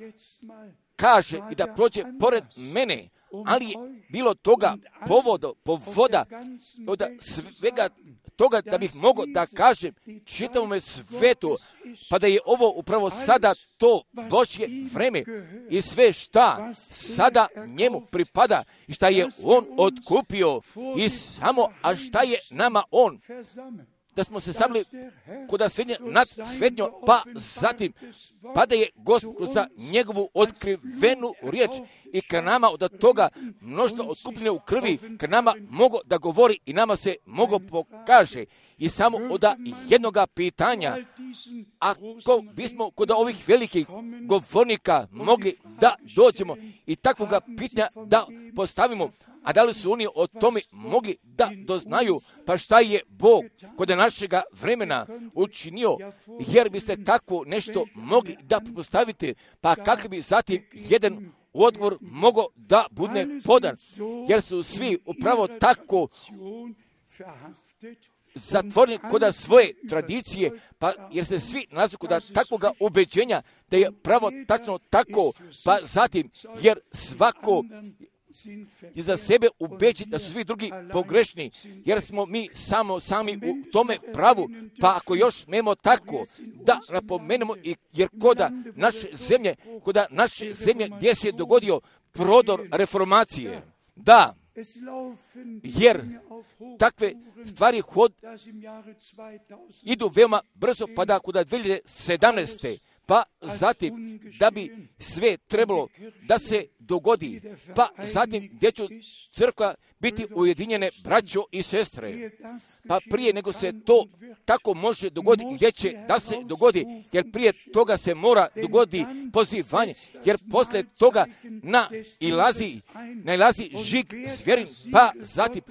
kaže i da prođe pored mene, ali je bilo toga povoda, povoda od svega toga da bih mogao da kažem čitavome svetu, pa da je ovo upravo sada to Božje vreme i sve šta sada njemu pripada i šta je on otkupio i samo, a šta je nama on, da smo se sabili kod svednje nad svednjom, pa zatim, pa da je Gospod za njegovu otkrivenu riječ i ka nama od toga mnoštva otkupljene u krvi, ka nama mogo da govori i nama se mogo pokaže. I samo od jednoga pitanja, ako bismo kod ovih velikih govornika mogli da dođemo i takvoga pitanja da postavimo, a da li su oni o tome mogli da doznaju, pa šta je Bog kod našega vremena učinio, jer biste tako nešto mogli da postavite, pa kako bi zatim jedan odgovor mogao da bude podan, jer su svi upravo tako zatvoreni kod svoje tradicije, pa jer se svi nalaze kod takvog ubeđenja da je pravo tačno tako, pa zatim jer svako i za sebe ubeći da su svi drugi pogrešni, jer smo mi samo sami u tome pravu, pa ako još smemo tako da napomenemo, jer koda naše zemlje, koda naše zemlje gdje se je dogodio prodor reformacije, da, jer takve stvari hod idu veoma brzo, pa da kuda dvije hiljade sedamnaeste pa zatim da bi sve trebalo da se dogodi, pa zatim gdje će crkva biti ujedinjene braćo i sestre, pa prije nego se to tako može dogoditi, gdje će da se dogodi, jer prije toga se mora dogoditi pozivanje, jer poslije toga na ilazi, nailazi žig zvjerin, pa zatim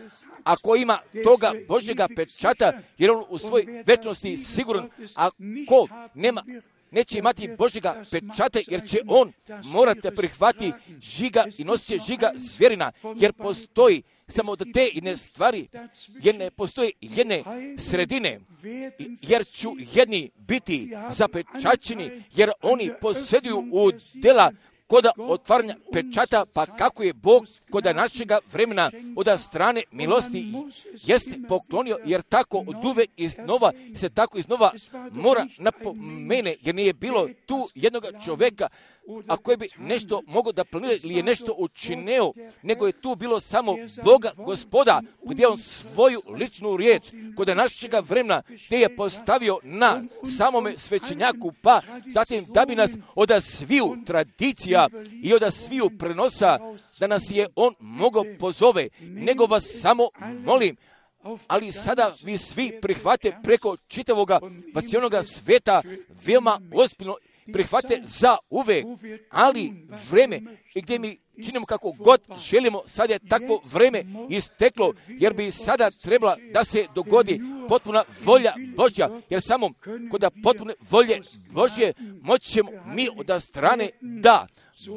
ako ima toga Božjega pečata, jer on u svojoj večnosti siguran, ako nema, neće imati Božjega pečata, jer će on morati prihvati žiga i nosit će žiga zvjerina, jer postoji samo da te jedne stvari, jer ne postoji jedne sredine, jer ću jedni biti zapečaćeni, jer oni posjeduju u dela koda otvaranja pečata, pa kako je Bog koda našega vremena od strane milosti jeste poklonio, jer tako od uvek iznova se tako iznova mora napomene, jer nije bilo tu jednog čovjeka, a koji bi nešto mogao da planira ili je nešto učinio, nego je tu bilo samo Boga Gospoda, gdje on svoju ličnu riječ kod našega vremena gdje je postavio na samome svećenjaku, pa zatim da bi nas od sviju tradicija i od sviju prenosa, da nas je on mogao pozove, nego vas samo molim, ali sada vi svi prihvate preko čitavoga vasionoga sveta veoma ozbiljno, prihvate za uvek, ali vreme i gdje mi činimo kako god želimo, sad je takvo vreme isteklo, jer bi sada trebala da se dogodi potpuna volja Božja, jer samo kod potpune volje Božje moći ćemo mi od strane da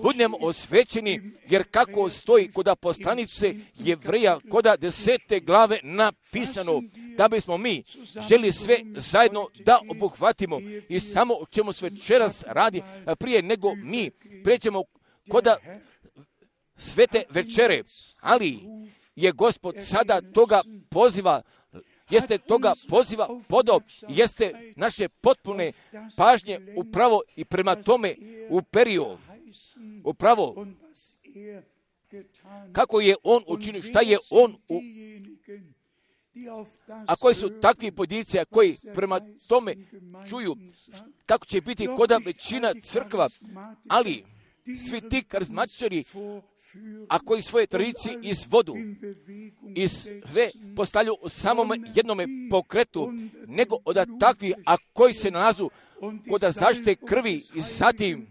budemo osvećeni, jer kako stoji kod poslanice Jevreja kod desete glave napisano, da bismo mi želi sve zajedno da obuhvatimo i samo o čemu sve večeras radi, prije nego mi pređemo kod svete večere, ali je Gospod sada toga poziva, jeste toga poziva podo, jeste naše potpune pažnje upravo i prema tome uperio, upravo kako je on učinio, šta je on u... A koji su takvi pojedinci koji prema tome čuju kako će biti koda većina crkva, ali svi ti karizmatičari, a koji svoje tradicije izvodu i sve postavljaju u samom jednome pokretu, nego od takvi, a koji se nalazu kod zaštite krvi i zatim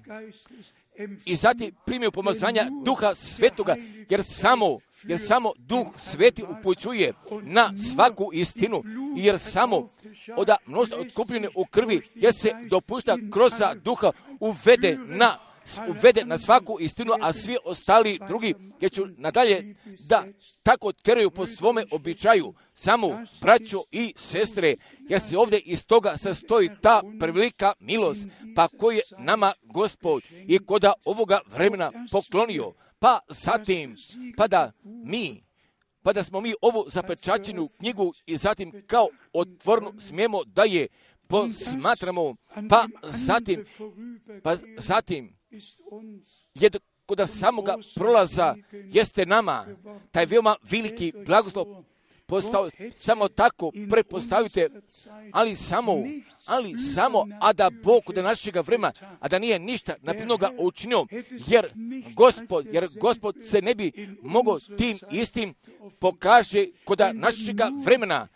i zatim primiju pomazanja Duha Svetoga, jer samo jer samo Duh Sveti upućuje na svaku istinu, jer samo od mnoštva otkupljene u krvi, jer se dopušta kroz Duha uvede na uvede na svaku istinu, a svi ostali drugi, jer ću nadalje da tako teraju po svome običaju, samo braćo i sestre, jer se ovdje iz toga sastoji ta prevelika milost, pa koju je nama Gospod i koda ovoga vremena poklonio, pa zatim, pa da mi, pa da smo mi ovu zapečaćenu knjigu i zatim kao otvorno smijemo da je posmatramo, pa zatim, pa zatim, je kod samoga prolaza jeste nama taj veoma veliki blagoslov postao, samo tako prepostavite, ali samo, ali samo, a da Bog kod našega vremena, a da nije ništa naprednoga učinio, jer Gospod, jer Gospod se ne bi mogao tim istim pokaže kod našega vremena,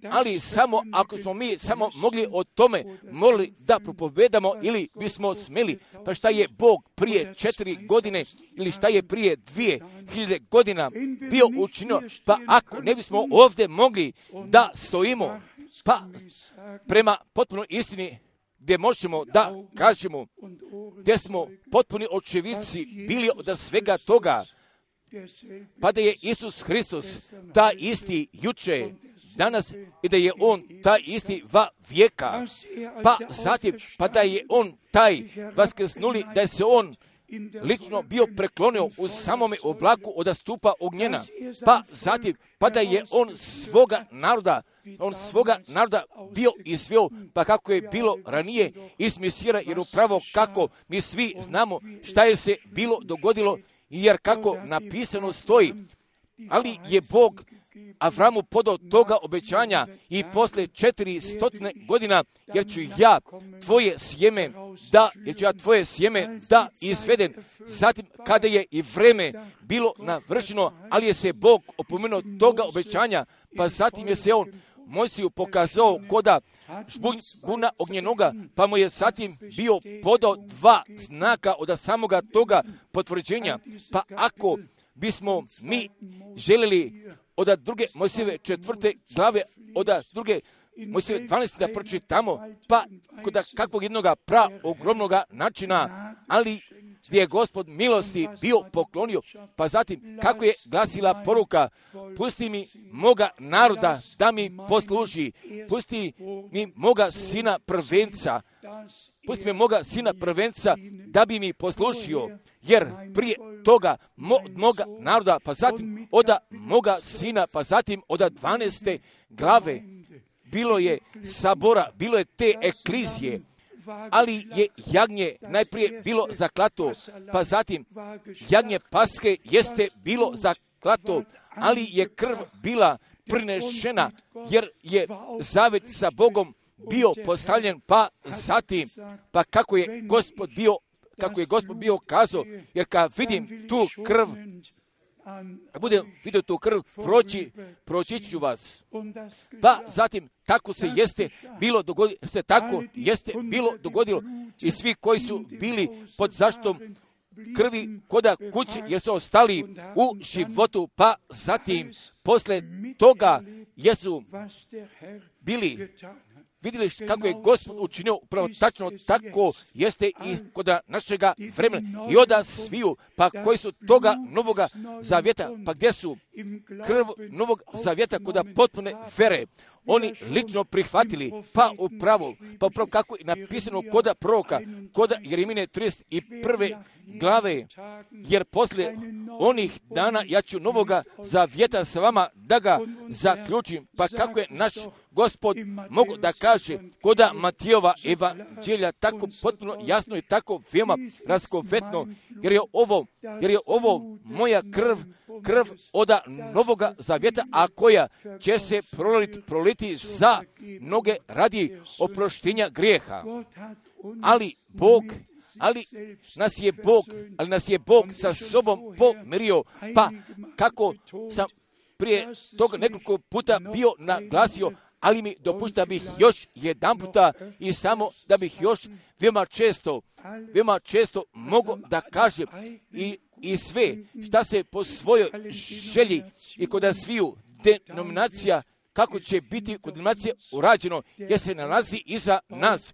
ali samo ako smo mi samo mogli o tome mogli da propovedamo ili bismo smeli, pa šta je Bog prije četiri godine ili šta je prije dvije hiljade godina bio učinio, pa ako ne bismo ovdje mogli da stojimo, pa prema potpuno istini gdje možemo da kažemo, gdje smo potpuni očevidci bili od svega toga, pa da je Isus Hristos ta isti juče, danas i da je on taj isti va vijeka, pa zatim, pa da je on taj vaskrsnuli, da je se on lično bio preklonio u samome oblaku od stupa ognjena, pa zatim, pa da je on svoga naroda, on svoga naroda bio izveo, pa kako je bilo ranije iz Mesira, jer upravo kako mi svi znamo šta je se bilo dogodilo, jer kako napisano stoji, ali je Bog Avramu podao toga obećanja i posle četiri stotine godina, jer ću ja tvoje sjeme da, jer ću ja tvoje sjeme da izvedem. Zatim, kada je i vreme bilo navršeno, ali je se Bog opomenuo toga obećanja, pa zatim je se on Mojsiju pokazao koda žbuna ognjenoga, pa mu je zatim bio podao dva znaka od samoga toga potvrđenja. Pa ako bismo mi želeli od druge Mojsijeve četvrte glave, od druge Mojsijeve dvanaeste da pročitamo, pa kod kakvog jednoga pra ogromnoga načina, ali gdje je Gospod milosti bio poklonio, pa zatim kako je glasila poruka, pusti mi moga naroda da mi posluži, pusti mi moga sina prvenca, pusti mi moga sina prvenca da bi mi poslušio, jer prije toga mo, moga naroda, pa zatim od moga sina, pa zatim od dvanaeste glave, bilo je sabora, bilo je te eklizije, ali je jagnje najprije bilo zaklato, pa zatim jagnje Paske jeste bilo zaklato, ali je krv bila prinešena, jer je zavet sa Bogom bio postavljen, pa zatim, pa kako je Gospod bio, kako je Gospod bio kazao, jer kad vidim tu krv, kad budem vidio tu krv, proći, proći ću vas. Pa zatim, tako se jeste bilo dogodilo, se tako jeste bilo dogodilo i svi koji su bili pod zaštitom krvi koda kuće, jer su ostali u životu, pa zatim, posle toga, jesu bili vidjeli kako je Gospod učinio upravo tačno tako jeste i kod našega vremena i oda sviju, pa koji su toga novoga zavjeta, pa gdje su krv novog zavjeta kod potpune vere, oni lično prihvatili, pa upravo, pa upravo kako je napisano kod proroka, kod Jeremije trideset prve glave, jer poslije onih dana ja ću novoga zavjeta sa vama da ga zaključim, pa kako je naš Gospod mogu da kaže kod Matijova evanđelja tako potpuno jasno i tako veoma raskovetno, jer je ovo, jer je ovo moja krv, krv od novoga zavjeta, a koja će se proliti, proliti za mnoge radi oproštenja grijeha. Ali Bog, ali nas je Bog, ali nas je Bog sa sobom pomirio, pa kako sam prije toga nekoliko puta bio naglasio, ali mi dopušta bih još jedan puta i samo da bih još veoma često, veoma često mogu da kažem i, i sve šta se po svojoj želji i kod sviju denominacija, kako će biti kod denominacije urađeno, jer se nalazi iza nas,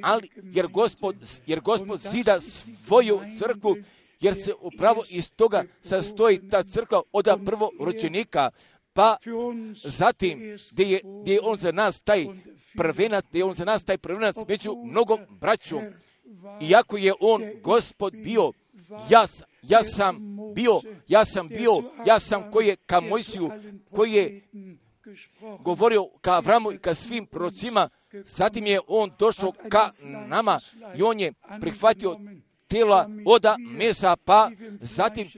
ali jer Gospod, jer Gospod zida svoju crkvu, jer se upravo iz toga sastoji ta crkva od prvorođenika, pa zatim gdje je, gdje je on za nas taj prvenac, gdje je on za nas taj prvenac među mnogom braćom, iako je on Gospod bio, ja, ja sam bio, ja sam bio, ja sam koji je ka Mojsiju, koji je govorio ka Avramu i ka svim prorocima, zatim je on došao ka nama i on je prihvatio tijela od mesa, pa zatim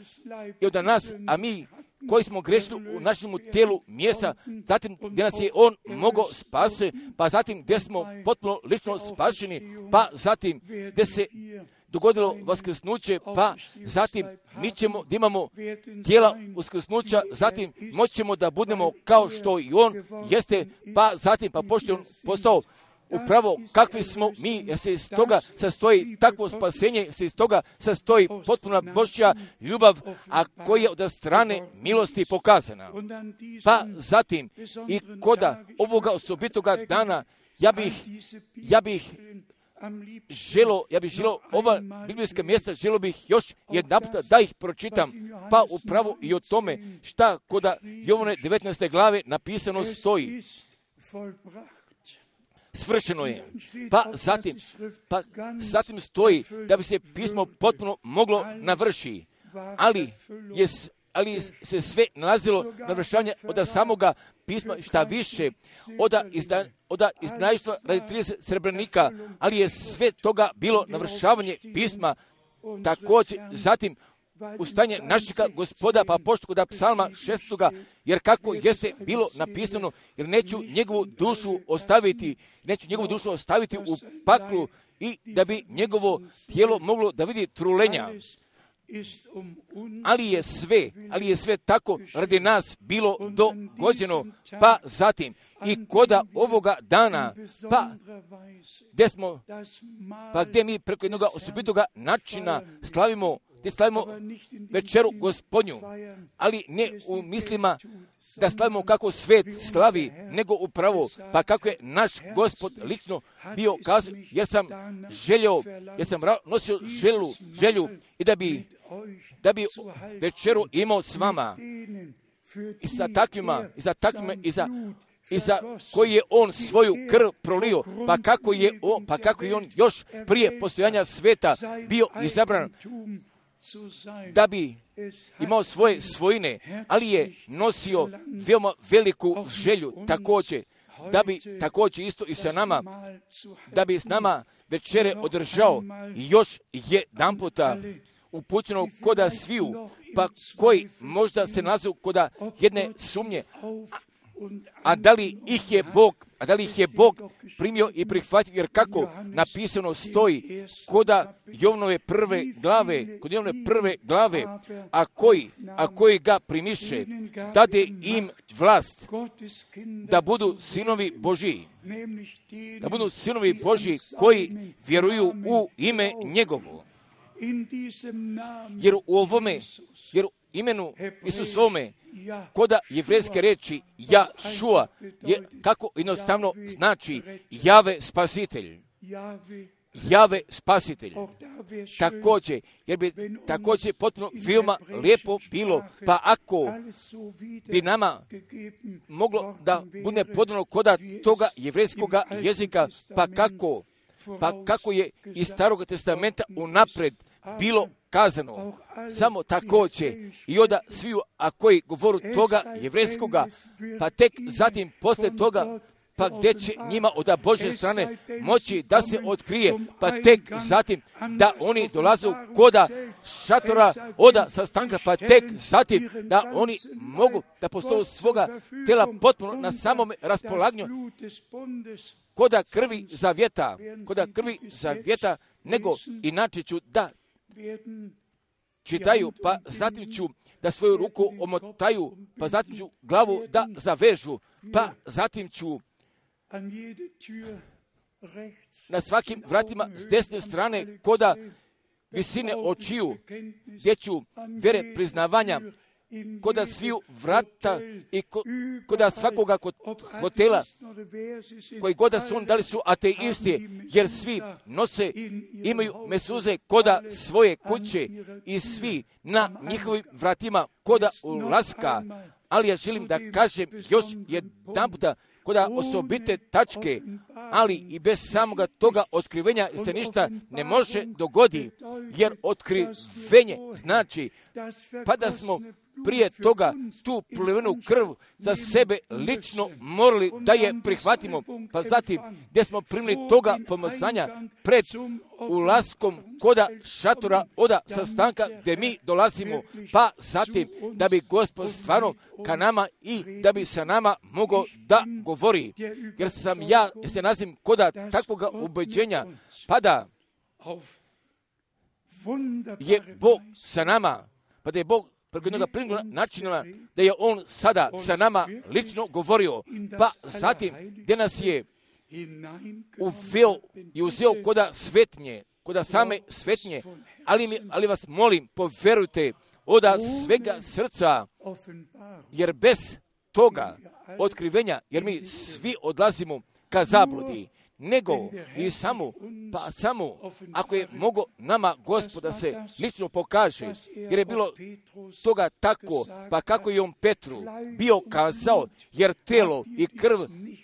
i od nas, a mi koji smo grešili u našem tijelu mjesta, zatim gdje nas je on mogao spase, pa zatim gdje smo potpuno lično spašeni, pa zatim gdje se dogodilo vaskrsnuće, pa zatim mi ćemo da imamo tijela uskrsnuća, zatim moćemo da budemo kao što i on jeste, pa zatim pa pošto je on postao upravo kakvi smo mi, jer se iz toga sastoji takvo spasenje, se iz toga sastoji potpuna Božja ljubav, a koja je od strane milosti pokazana. Pa zatim i koda ovoga osobitoga dana, ja bih, ja bih želo, ja bih želo ova biblijska mjesta, želo bih još jedan puta da ih pročitam, pa upravo i o tome šta koda Jovane devetnaeste glave napisano stoji. svršeno je. Pa zatim, pa zatim stoji da bi se pismo potpuno moglo navrši, ali je ali se sve nalazilo navršavanje od samoga pisma, šta više, od izdajstva radi trideset srebrnika, ali je sve toga bilo navršavanje pisma, također zatim ustaње našega Gospoda, pa pošto kod psalma šestoga, jer kako jeste bilo napisano, jer neću njegovu dušu ostaviti, neću njegovu dušu ostaviti u paklu i da bi njegovo tijelo moglo da vidi trulenja. Ali je sve, ali je sve tako radi nas bilo dogođeno, pa zatim i koda ovoga dana, pa gdje smo, pa gdje mi preko jednoga osobitoga načina slavimo, gdje slavimo večeru Gospodnju, ali ne u mislima da slavimo kako svet slavi, nego upravo, pa kako je naš Gospod lično bio kazao, jer sam željeo, jer sam nosio želu, želju i da bi, da bi večeru imao s vama i sa takvima, i za takvima, i za i za koji je on svoju krv prolio, pa kako je on, pa kako je on još prije postojanja sveta bio izabran da bi imao svoje svojine, ali je nosio veoma veliku želju također, da bi također isto i sa nama, da bi s nama večere održao i još jedan puta upućeno koda sviju, pa koji možda se nalaze koda jedne sumnje, a da li ih je Bog, a da li ih je Bog primio i prihvatio, jer kako napisano stoji koda Jovnove prve glave, kod Jovnove prve glave, a koji, a koji ga primiše, dade im vlast da budu sinovi Božji, da budu sinovi Božji koji vjeruju u ime njegovo. Jer u ovome, jer u imenu Isusovome, koda jevrejske reči Jašua, je kako jednostavno znači Jave spasitelj. Jave spasitelj. Također, jer bi također potpuno veoma lijepo bilo, pa ako bi nama moglo da bude podano koda toga jevrejskoga jezika, pa kako, pa kako je iz Starog testamenta unapred bilo kazano, samo također i onda sviju, a koji govoru toga jevrejskoga, pa tek zatim posle toga, pa gdje će njima od Božje strane moći da se otkrije, pa tek zatim da oni dolazu koda šatora oda sastanka, pa tek zatim da oni mogu da postoju svoga tela potpuno na samom raspolaganju koda krvi zavjeta, koda krvi zavjeta, nego inače ću da čitaju, pa zatim ću da svoju ruku omotaju, pa zatim ću glavu da zavežu, pa zatim ću na svakim vratima s desne strane koda visine očiju, gdje ću vere priznavanja koda sviju vrata i ko, koda svakoga kod hotela, koji goda su on, da li su ateisti, jer svi nose, imaju mesuze koda svoje kuće i svi na njihovim vratima koda ulaska. Ali ja želim da kažem još jedan puta koda osobite tačke, ali i bez samoga toga otkrivenja se ništa ne može dogoditi, jer otkrivenje znači pa da smo prije toga tu prolivenu krv za sebe lično morali da je prihvatimo, pa zatim gdje smo primili toga pomazanja pred ulaskom koda šatora oda sastanka gdje mi dolazimo, pa zatim da bi Gospod stvarno ka nama i da bi sa nama mogao da govori, jer sam ja se nazim koda takvoga ubeđenja, pa da je Bog sa nama, pa da je Bog preko jednoga plinnog načina, da je on sada sa nama lično govorio, pa zatim gdje nas je uveo i uzeo koda svetnje, koda same svetnje, ali, mi, ali vas molim, poverujte oda svega srca, jer bez toga otkrivenja, jer mi svi odlazimo ka zabludi, nego i samo, pa samo, ako je mogo nama Gospod da se lično pokaže, jer je bilo toga tako, pa kako je on Petru bio kazao, jer telo i krv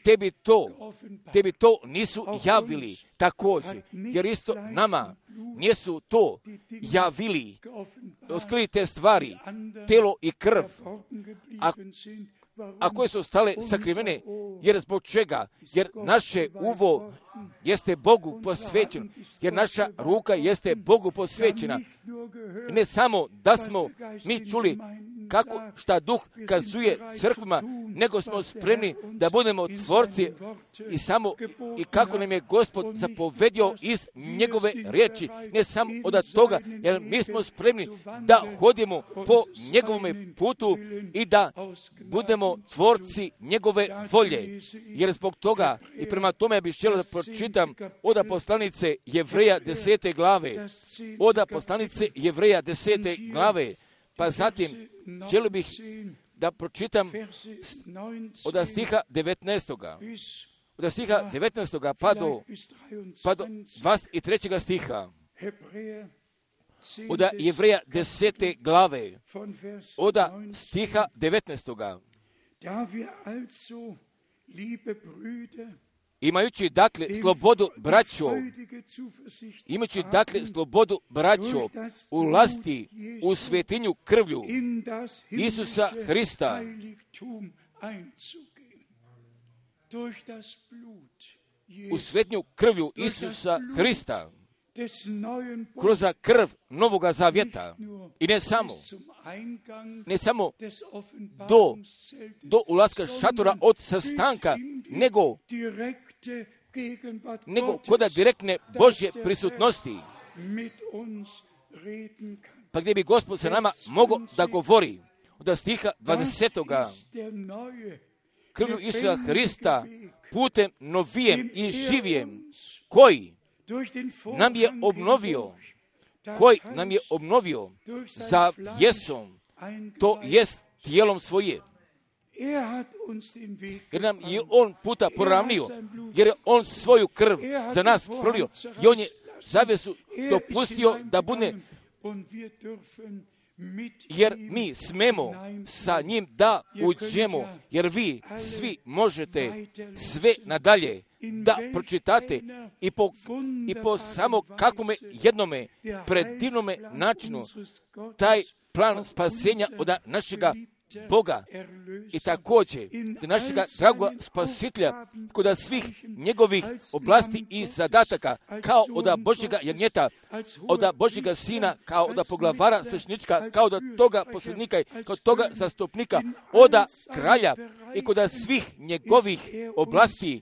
tebi to, tebi to nisu javili također, jer isto nama nisu to javili, otkrili te stvari, telo i krv, a a koje su ostale sakrivene, jer zbog čega? Jer naše uvo jeste Bogu posvećeno, jer naša ruka jeste Bogu posvećena. Ne samo da smo mi čuli kako šta Duh kazuje crkvama, nego smo spremni da budemo tvorci i samo i kako nam je Gospod zapovedio iz njegove riječi, ne samo od toga, jer mi smo spremni da hodimo po njegovome putu i da budemo tvorci njegove volje. Jer zbog toga i prema tome bih želio da pročitam od poslanice Jevreja desete glave, od poslanice Jevreja desete glave, pa zatim želio bih da pročitam od stiha devetnaestoga. Od stiha devetnaestoga pa do, pa do dvadeset trećeg stiha. Od Jevreja desete glave, od stiha devetnaestoga. Imajući dakle slobodu braćo, imajući dakle slobodu braćo, ulasti u svetinju krvlju Isusa Hrista, u svetinju krvlju Isusa Hrista, kroz krv Novoga Zavjeta, i ne samo, ne samo do, do ulaska šatora od sastanka, nego nego koda direktne Božje prisutnosti, pa gdje bi Gospod sa nama mogao da govori. Od stiha dvadesetoga. Krvlju Isusa Hrista, putem novijem i živijem, koji nam je obnovio, koji nam je obnovio za jesom, to jest tijelom svoje. Jer nam je on puta poravnio, jer je on svoju krv za nas prolio i on je zavjesu dopustio da bude, jer mi smemo sa njim da uđemo, jer vi svi možete sve nadalje da pročitate i po, i po samo kakvome jednome predivnome načinu taj plan spasenja od našega Boga i također do našega dragoga spasitelja kod svih njegovih oblasti i zadataka, kao od Božjega jagnjeta, od Božjega sina, kao od poglavara svećenička, kao od toga posljednika i kod toga zastupnika, od kralja i kod svih njegovih oblasti,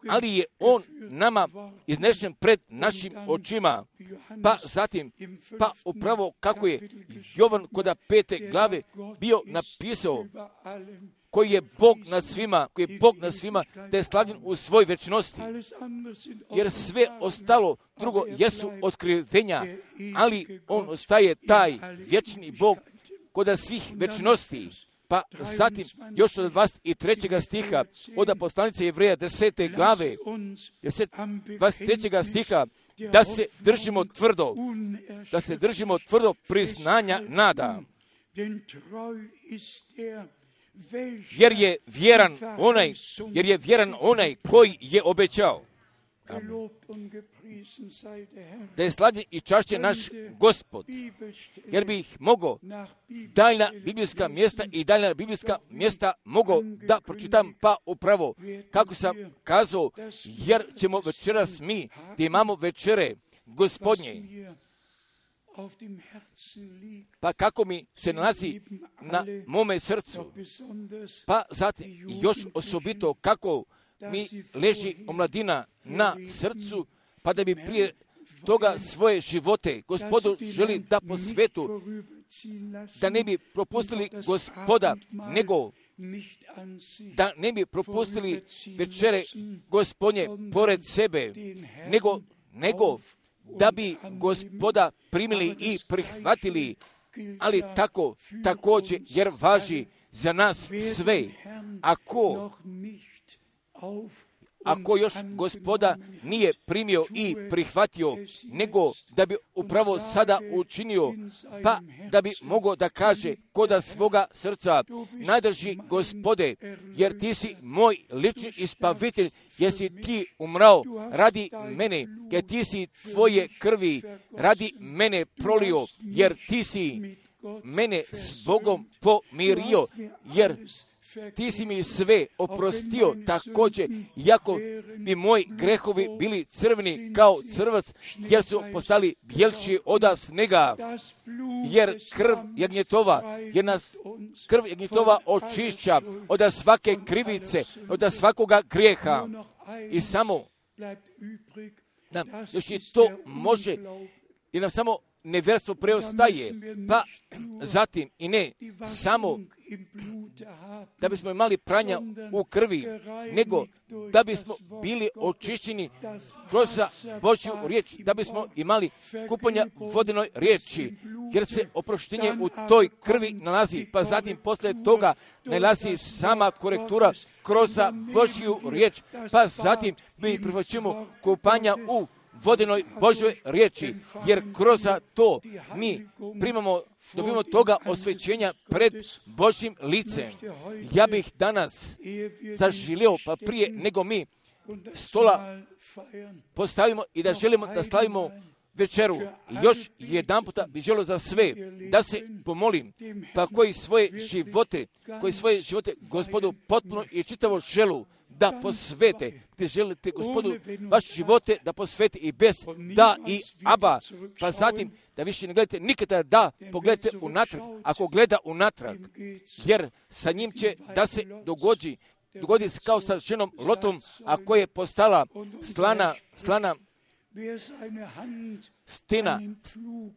ali je on nama iznešen pred našim očima. Pa zatim, pa upravo kako je Jovan kod pete glave bio napisao, koji je Bog nad svima, koji je Bog nad svima, da je slavljen u svoj večnosti. Jer sve ostalo drugo jesu otkrivenja, ali on ostaje taj vječni Bog kod svih večnosti. Pa zatim, još od dvadeset trećeg stiha, od poslanice Jevreja desete glave, dvadeset trećeg stiha, da se držimo tvrdo, da se držimo tvrdo priznanja nada. Jer je vjeran onaj, jer je vjeran onaj koji je obećao. Amen. Da je slavljen i čašćen naš Gospod, jer bi ih mogao daljna biblijska mjesta i daljna biblijska mjesta mogao da pročitam, pa upravo kako sam kazao, jer ćemo večeras mi, gdje imamo večere Gospodnje, pa kako mi se nalazi na mome srcu, pa zatim još osobito kako mi leži omladina na srcu, pa da bi prije toga svoje živote Gospodu želi da po svetu, da ne bi propustili Gospoda, nego da ne bi propustili večere Gospodnje pored sebe, nego, nego da bi Gospoda primili i prihvatili, ali tako, također, jer važi za nas sve. Ako ako još Gospoda nije primio i prihvatio, nego da bi upravo sada učinio, pa da bi mogao da kaže koda svoga srca, najdrži Gospode, jer ti si moj lični ispavitelj, jer si ti umrao radi mene, jer ti si tvoje krvi radi mene prolio, jer ti si mene s Bogom pomirio, jer ti si mi sve oprostio također, iako bi moji grehovi bili crveni kao crvac, jer su postali bjelši oda snega, jer krv jagnjetova, jer nas krv jagnjetova očišća od svake krivice, od svakoga grijeha. I samo nam još i to može, jer nam samo nevjerstvo preostaje, pa zatim i ne samo da bismo imali pranja u krvi, nego da bismo bili očišćeni kroz Božju riječ, da bismo imali kupanja vodenoj riječi, jer se oproštenje u toj krvi nalazi, pa zatim posle toga nalazi sama korektura kroz Božju riječ, pa zatim mi prihvaćamo kupanja u vodenoj Božoj riječi, jer kroz to mi primamo, dobimo toga osvećenja pred Božjim licem. Ja bih danas zaželio, pa prije nego mi stola postavimo i da želimo da slavimo večeru. I još jedan puta bih želio za sve da se pomolim, pa koji svoje živote, koji svoje živote Gospodu potpuno i čitavo želu da posvete, gdje želite Gospodu vaše živote da posvete i bez da i aba, pa zatim da više ne gledate nikada da pogledate unatrag, ako gleda unatrag, jer sa njim će da se dogodi, dogodi kao sa ženom Lotom, a koja je postala slana, slana stena,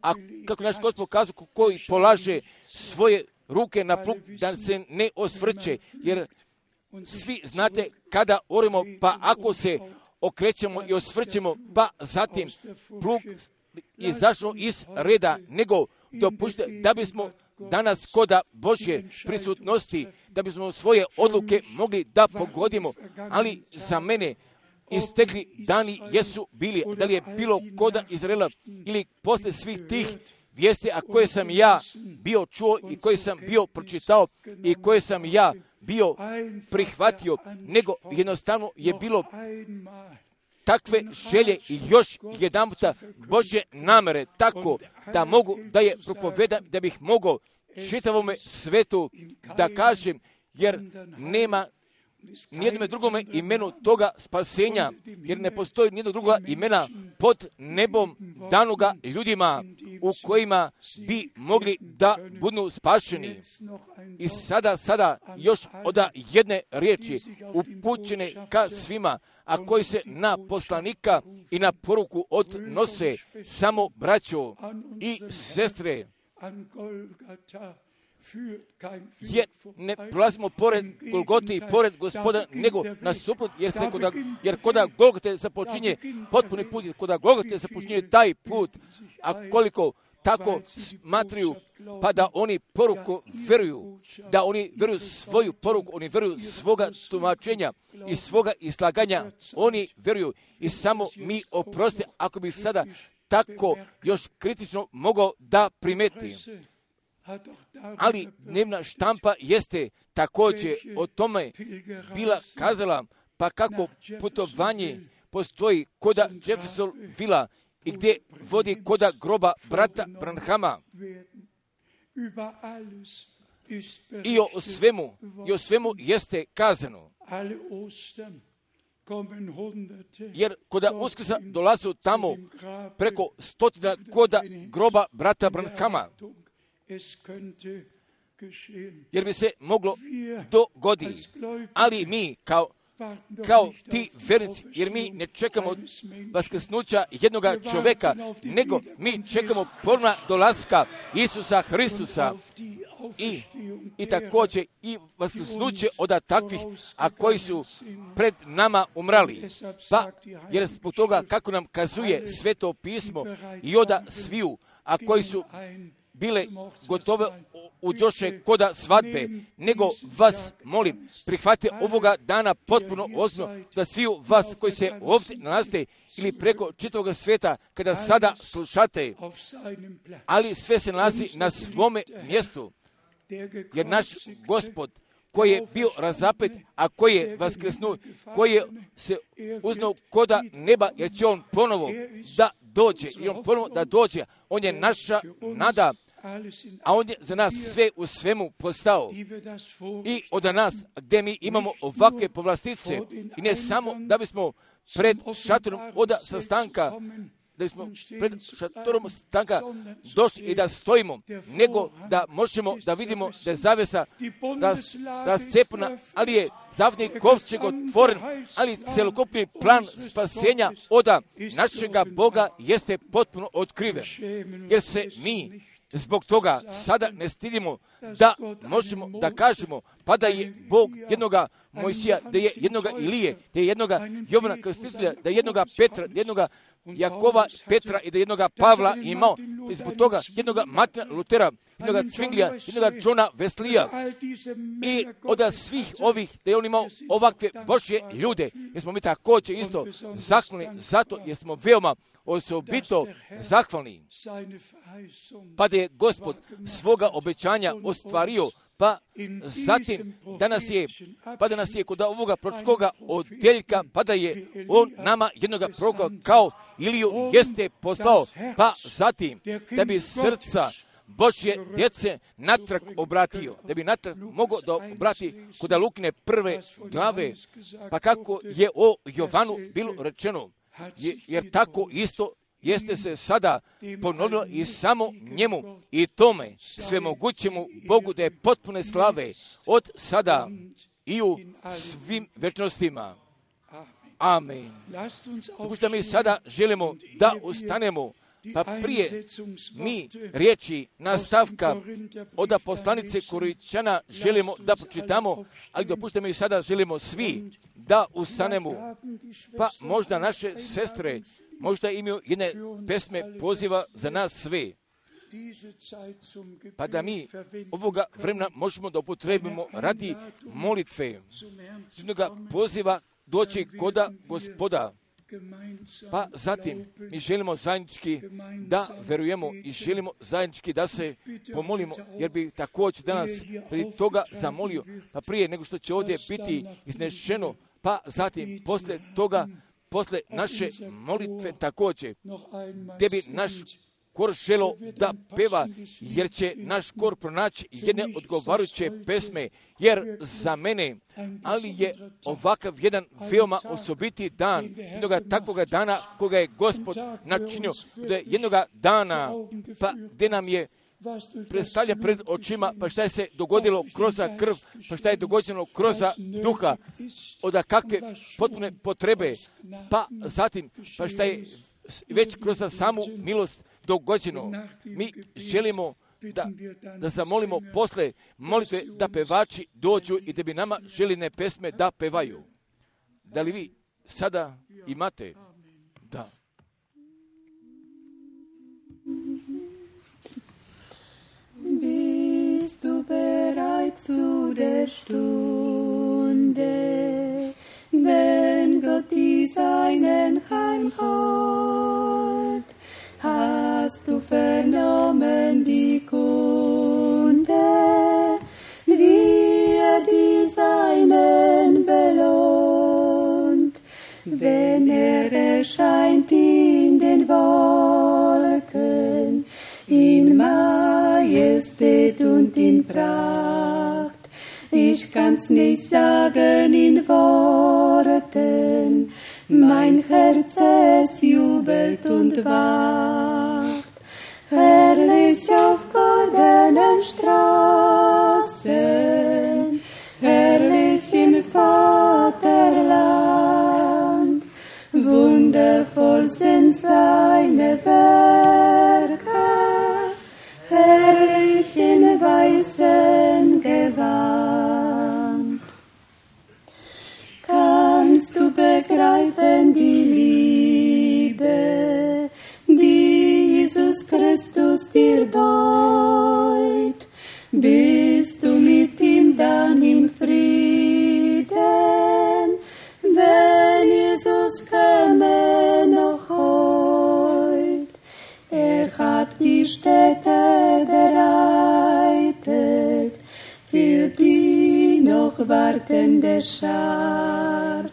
a kako naš Gospod kazao, koji polaže svoje ruke na plug da se ne osvrće, jer svi znate kada orimo, pa ako se okrećemo i osvrćemo, pa zatim plug izašao iz reda, nego dopušte da bismo danas koda Božje prisutnosti, da bismo svoje odluke mogli da pogodimo, ali za mene istekli dani jesu bili, da li je bilo koda Izraela ili posle svih tih vijesti, a koje sam ja bio čuo i koje sam bio pročitao i koje sam ja bio prihvatio, nego jednostavno je bilo takve želje i još jedan puta Božje namere, tako da mogu da je propovedam, da bih mogao čitavome svetu da kažem, jer nema nijednome drugome imenu toga spasenja, jer ne postoji nijedno druga imena pod nebom danoga ljudima u kojima bi mogli da budu spašeni. I sada, sada još od jedne riječi upućene ka svima, a koji se na poslanika i na poruku odnose, samo braćo i sestre, jer ne prolazimo pored Golgote i pored Gospoda, nego nasuprot, jer se koda, jer koda Golgote započinje potpuni put, koda Golgote započinje taj put, a koliko tako smatruju, pa da oni poruku veruju, da oni veruju svoju poruku, oni veruju svoga tumačenja i svoga izlaganja, oni veruju i samo mi oprosti, ako bi sada tako još kritično mogao da primeti. Ali dnevna štampa jeste također o tome bila kazala, pa kako putovanje postoji koda Jeffersonvilla i gdje vodi koda groba brata Branhama. I o svemu, i o svemu jeste kazano. Jer koda Uskrsa dolazu tamo preko stotina koda groba brata Branhama, jer bi se moglo dogoditi. Ali mi kao, kao ti vernici, jer mi ne čekamo vaskrsnuća jednoga čovjeka, nego mi čekamo ponovna dolaska Isusa Hristusa i, i također i vaskrsnuće od takvih, a koji su pred nama umrali. Pa, jer zbog toga kako nam kazuje Sveto pismo i oda sviju, a koji su bile gotove uđoše koda svadbe, nego vas molim, prihvatite ovoga dana potpuno ozbiljno, da svi vas koji se ovdje nalazite ili preko čitavog svijeta, kada sada slušate, ali sve se nalazi na svome mjestu, jer naš Gospod koji je bio razapet, a koji je vaskrsnuo, koji je se uznao koda neba, jer će on ponovo da dođe, i on ponovo da dođe, on je naša nada, a on je za nas sve u svemu postao. I od nas, gdje mi imamo ovakve povlastice, i ne samo da bismo pred šatorom oda sastanka, da bismo pred šatorom sastanka došli i da stojimo, nego da možemo da vidimo da je zavesa raz, razcepna, ali je zavni kovčeg otvoren, ali celokupni plan spasenja oda našega Boga jeste potpuno otkriven, jer se mi zbog toga sada ne stidimo da možemo da kažemo, pa da je Bog jednoga Mojsija, da je jednoga Ilije, da je jednoga Jovana Krstitelja, da je jednoga Petra, da je jednoga Jakova, Petra i da je jednoga Pavla imao, i zbog toga jednoga Martina Lutera, jednoga Cvinglija, jednoga Johna Weslija i od svih ovih, da je on imao ovakve Božje ljude, jer smo mi također isto zahvalni zato jer smo veoma osobito zahvalni, pa da je Gospod svoga obećanja ostvario, pa zatim danas je, pa da nas je kod ovoga proročkoga odjeljka, pa da je on nama jednoga proroka kao Iliju jeste poslao, pa zatim da bi srca Božje djece natrag obratio, da bi natrag mogao da obrati kod Lukine prve glave, pa kako je o Jovanu bilo rečeno, jer tako isto jeste se sada ponovilo i samo njemu i tome svemogućemu Bogu da je potpune slave od sada i u svim večnostima. Amen. Pošto mi sada želimo da ustanemo, pa prije mi riječi nastavka od poslanice Korinćana želimo da pročitamo, ali dopušte mi sada želimo svi da ustanemo, pa možda naše sestre možda imaju jedne pesme poziva za nas sve, pa da mi ovoga vremena možemo da upotrebimo radi molitve, jednoga poziva doći koda Gospoda. Pa zatim mi želimo zajednički da verujemo i želimo zajednički da se pomolimo, jer bi također danas prije toga zamolio, pa prije nego što će ovdje biti iznešeno, pa zatim posle toga, posle naše molitve također, gdje bi naš kor želo da peva, jer će naš kor pronaći jedne odgovarajuće pesme, jer za mene, ali je ovakav jedan veoma osobiti dan, jednoga takvoga dana koga je Gospod načinio, da je jednoga dana, pa gdje nam je predstavlja pred očima, pa šta je se dogodilo kroz krv, pa šta je dogođeno kroz duha, od kakve potpune potrebe, pa zatim, pa šta je već kroz samu milost dogođeno. Mi želimo da, da zamolimo posle molitve da pevači dođu i da bi nama željene pesme da pevaju. Da li vi sada imate? Da. Bist du bereit zu der Stunde, wenn Gott die Seinen heimholt? Hast du vernommen die Kunde, wie er die Seinen belohnt, wenn er erscheint in den Wolken, in Majestät und in Pracht? Ich kann's nicht sagen in Worten, mein Herz es jubelt und wacht. Herrlich auf goldenen Straßen, herrlich im Vaterland, wundervoll sind seine Werke, herrlich im weißen Gewand. Kannst du begreifen die Liebe, die Stätte bereitet für die noch wartende Schar,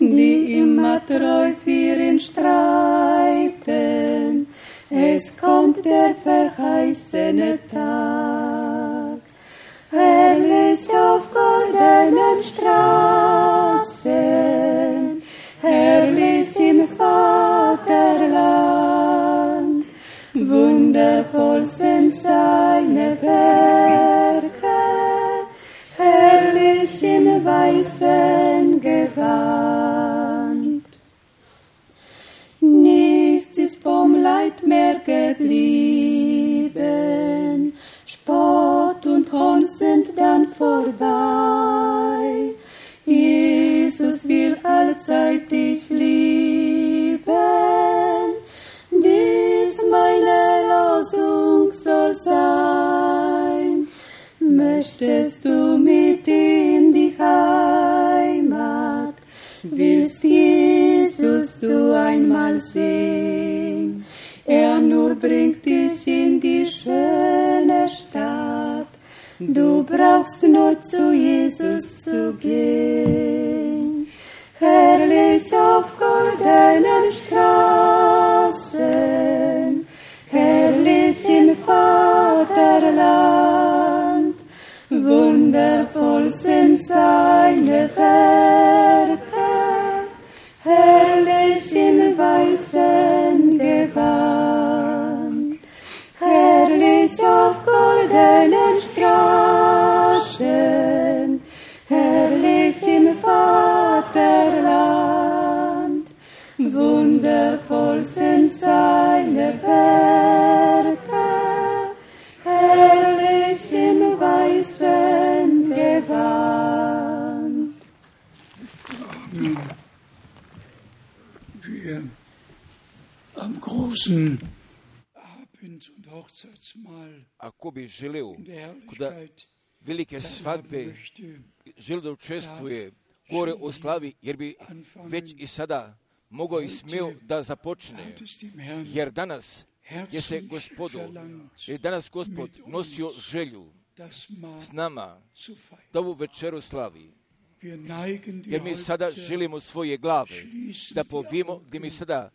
die immer treu für ihn streiten. Es kommt der verheißene Tag, herrlich auf goldenen Straßen, herrlich im Vaterland. Wundervoll sind seine Werke, herrlich im weißen Gewand. Nichts ist vom Leid mehr geblieben, Spott und Hohn sind dann vorbei. Jesus will allzeit dich lieben, dies meine Losung soll sein. Möchtest du mit in die Heimat, willst Jesus du einmal sehen? Er nur bringt dich in die schöne Stadt, du brauchst nur zu Jesus zu gehen. Herrlich auf goldenen Straßen, herrlich im Vaterland, wundervoll sind seine Werke, herrlich im weißen Gewand, herrlich auf goldenen Straßen, herrlich im Vaterland, wundervoll sind seine Werke, herrlich im weißen Gewand. Amen. Wir am großen Abend- und Hochzeitsmahl Ako bi želeo in der kod Herrlichkeit velike teilhaben svadbe möchte, želio da učestvuje gore o slavi, jer bi već i sada mogao i smio da započne, hat es dem Herrn jer danas je se herzlich Gospodu, verlangt, jer danas Gospod nosio želju das Mahl s nama zu feiern. da ovu večeru slavi. Wir neigen die Jer mi sada Häupter, želimo svoje glave schließen da die povijemo, Augen, gdje mi sada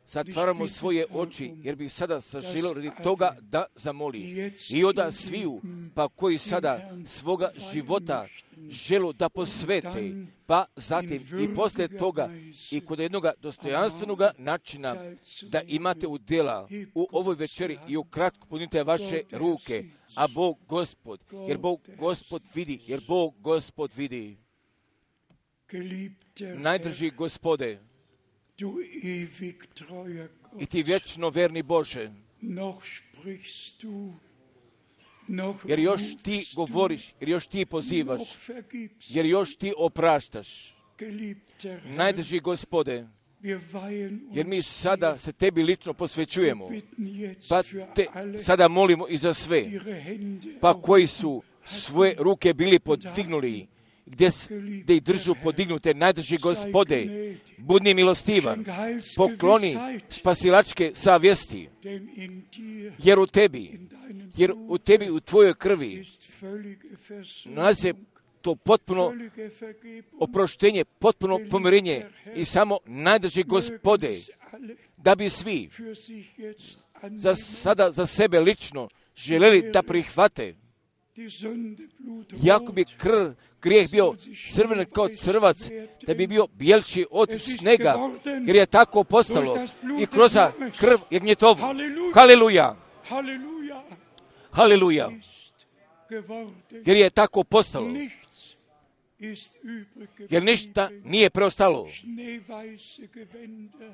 zatvaramo svoje oči, jer bih sada saželio radi toga da zamoli. I oda sviju, pa koji sada svoga života želu da posvete, pa zatim i poslije toga i kod jednog dostojanstvenog načina da imate udjela u ovoj večeri i ukratko punite vaše ruke, a Bog Gospod, jer Bog Gospod vidi, jer Bog Gospod vidi. geliebter Najdrži Gospode, du ewig treuer i Gott, ti vječno verni Bože, noch sprichst du, noch jer još rufst ti du, govoriš, jer još ti pozivaš, noch vergibst. jer još ti opraštaš. Geliebter Herr, Najdrži Gospode, wir weihen jer mi uns sada se tebi lično posvećujemo, dir, bitten jetzt pa für te alle, sada molimo i za sve, ihre Hände pa auf koji su svoje ruke bili podignuli, gdje, s- gdje ih držu podignute, najdrži Gospode, budni milostivan, pokloni spasilačke savjesti, denn in dir, jer u tebi, in deinem jer u tebi, u tvojoj krvi, ist völlige nalazi se Versöhnung, to potpuno völlige Vergebung. oproštenje, potpuno pomirenje i samo najdrži Gospode, Mögen es alle da bi svi für sich jetzt za annehmen, sada, za sebe lično željeli da prihvate, die Sünde Blut jako bi krv, grijeh bio crven kao crvac, da bi bio bijelši od snega, jer je tako postalo i kroz krv jagnjetovu. Haleluja, Halleluja, haleluja, ist geworden. jer je tako postalo, Nichts ist übrig jer ništa geblieben. nije preostalo, Schneeweiße Gewänder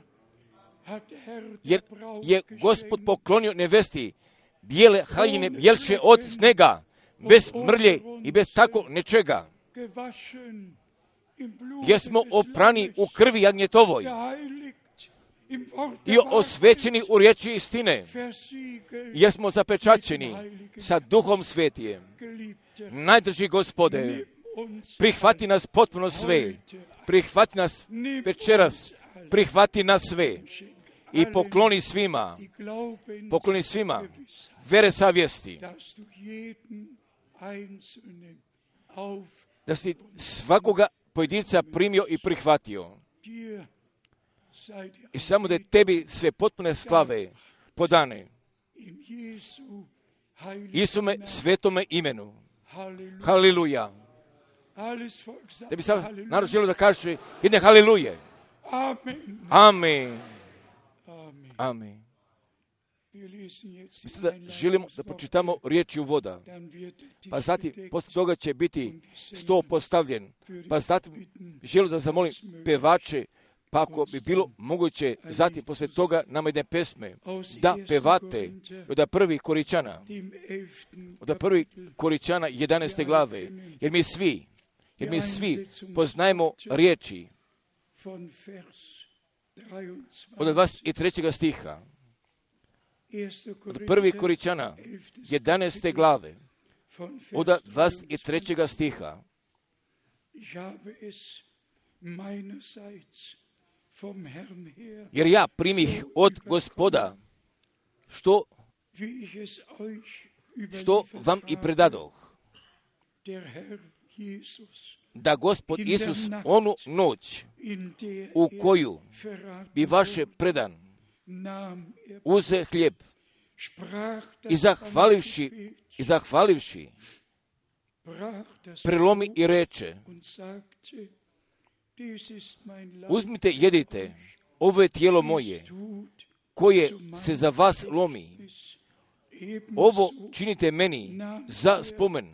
hat Herr jer der Braut je Gospod geschenkt. poklonio nevesti bijele haljine, bijelše od snega, bez mrlje i bez tako nečega, Gewaschen im Blut jer smo oprani u krvi jagnjetovoj geheiligt im Wort i der osvećeni u riječi istine, Wahrheit, versiegelt, jer smo zapečaćeni sa Duhom Svetijem. geliebter. Najdrži Gospode, Nimm uns prihvati nas potpuno sve, prihvati nas večeras, prihvati nas sve i pokloni svima, die Glauben pokloni svima vere savjesti. dass du jeden Einzelnen auf Da si svakoga pojedinca primio i prihvatio. dir sei die I samo da je tebi sve potpune slave podane. in Jesu heiligen Isume Namen. svetome imenu. Halleluja. Haleluja. Alles Volk sagt Da bi sad Halleluja. narod želio da kaže jedne haleluje. Amen. Amen. Amen. Amen. Wir lesen jetzt Mi die sada želimo da Einleitungsworte, pročitamo riječi uvoda. dann wird die Pa zatim, bedeckt posle toga će biti und die sto Sänger postavljen. würde Pa ich zatim bitten, želim da zamolim pevače, pa ako bi bilo moguće, zatim posle toga nama jedne pesme, da pevate od prvi Koričana, dem elften od prvi Kapitel Koričana jedanaeste glave, jer mi svi, jer mi svi poznajemo riječi von Vers od dvadeset trećeg stiha, dreiundzwanzig. od prvi Koričana jedanaeste glave, von od Vers dvadeset trećeg stiha. Ich habe es meinerseits vom Herrn her, Jer ja primih od Gospoda, što, wie ich es euch što überliefert vam i habe, predadoh, der Herr Jesus, da Gospod Isus onu noć in der u er koju verraten bi vaše wurde, predan nahm er, uze hljeb sprach das i zahvalivši, Gebet, i zahvalivši, brach das prelomi Brot i reče, und sagte, dies ist mein Leib, uzmite, jedite, ovo je tijelo moje, dies tut koje zu meinem se za vas lomi. Gedächtnis. Ebenso Ovo činite meni za spomen.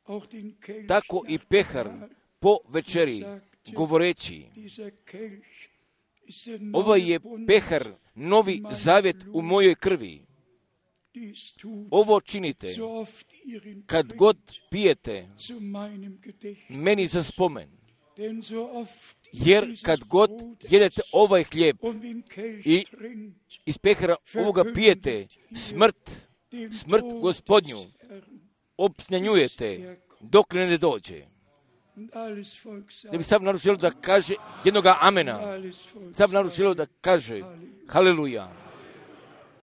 auch den Kelch Tako i nach pehar Mahl, po večeri, govoreći, dieser Kelch ist der ovo neue je Bund, pehar, novi zavjet u mojoj krvi. dies tut, Ovo činite so oft ihr ihn kad trinkt, god pijete zu meinem Gedächtnis. meni za spomen. Denn so oft ihr Jer dieses kad god Brot jedete ovaj hljeb und den Kelch i trinkt, iz pehara ovoga pijete, smrt, dem smrt Tod Gospodnju des Herrn. obznanjujete dok ne dođe. Und alles Volk sagt, Da bi sam narod želio da kaže jednoga amena. alles Volk Sam narod sagt, želio da kaže haleluja.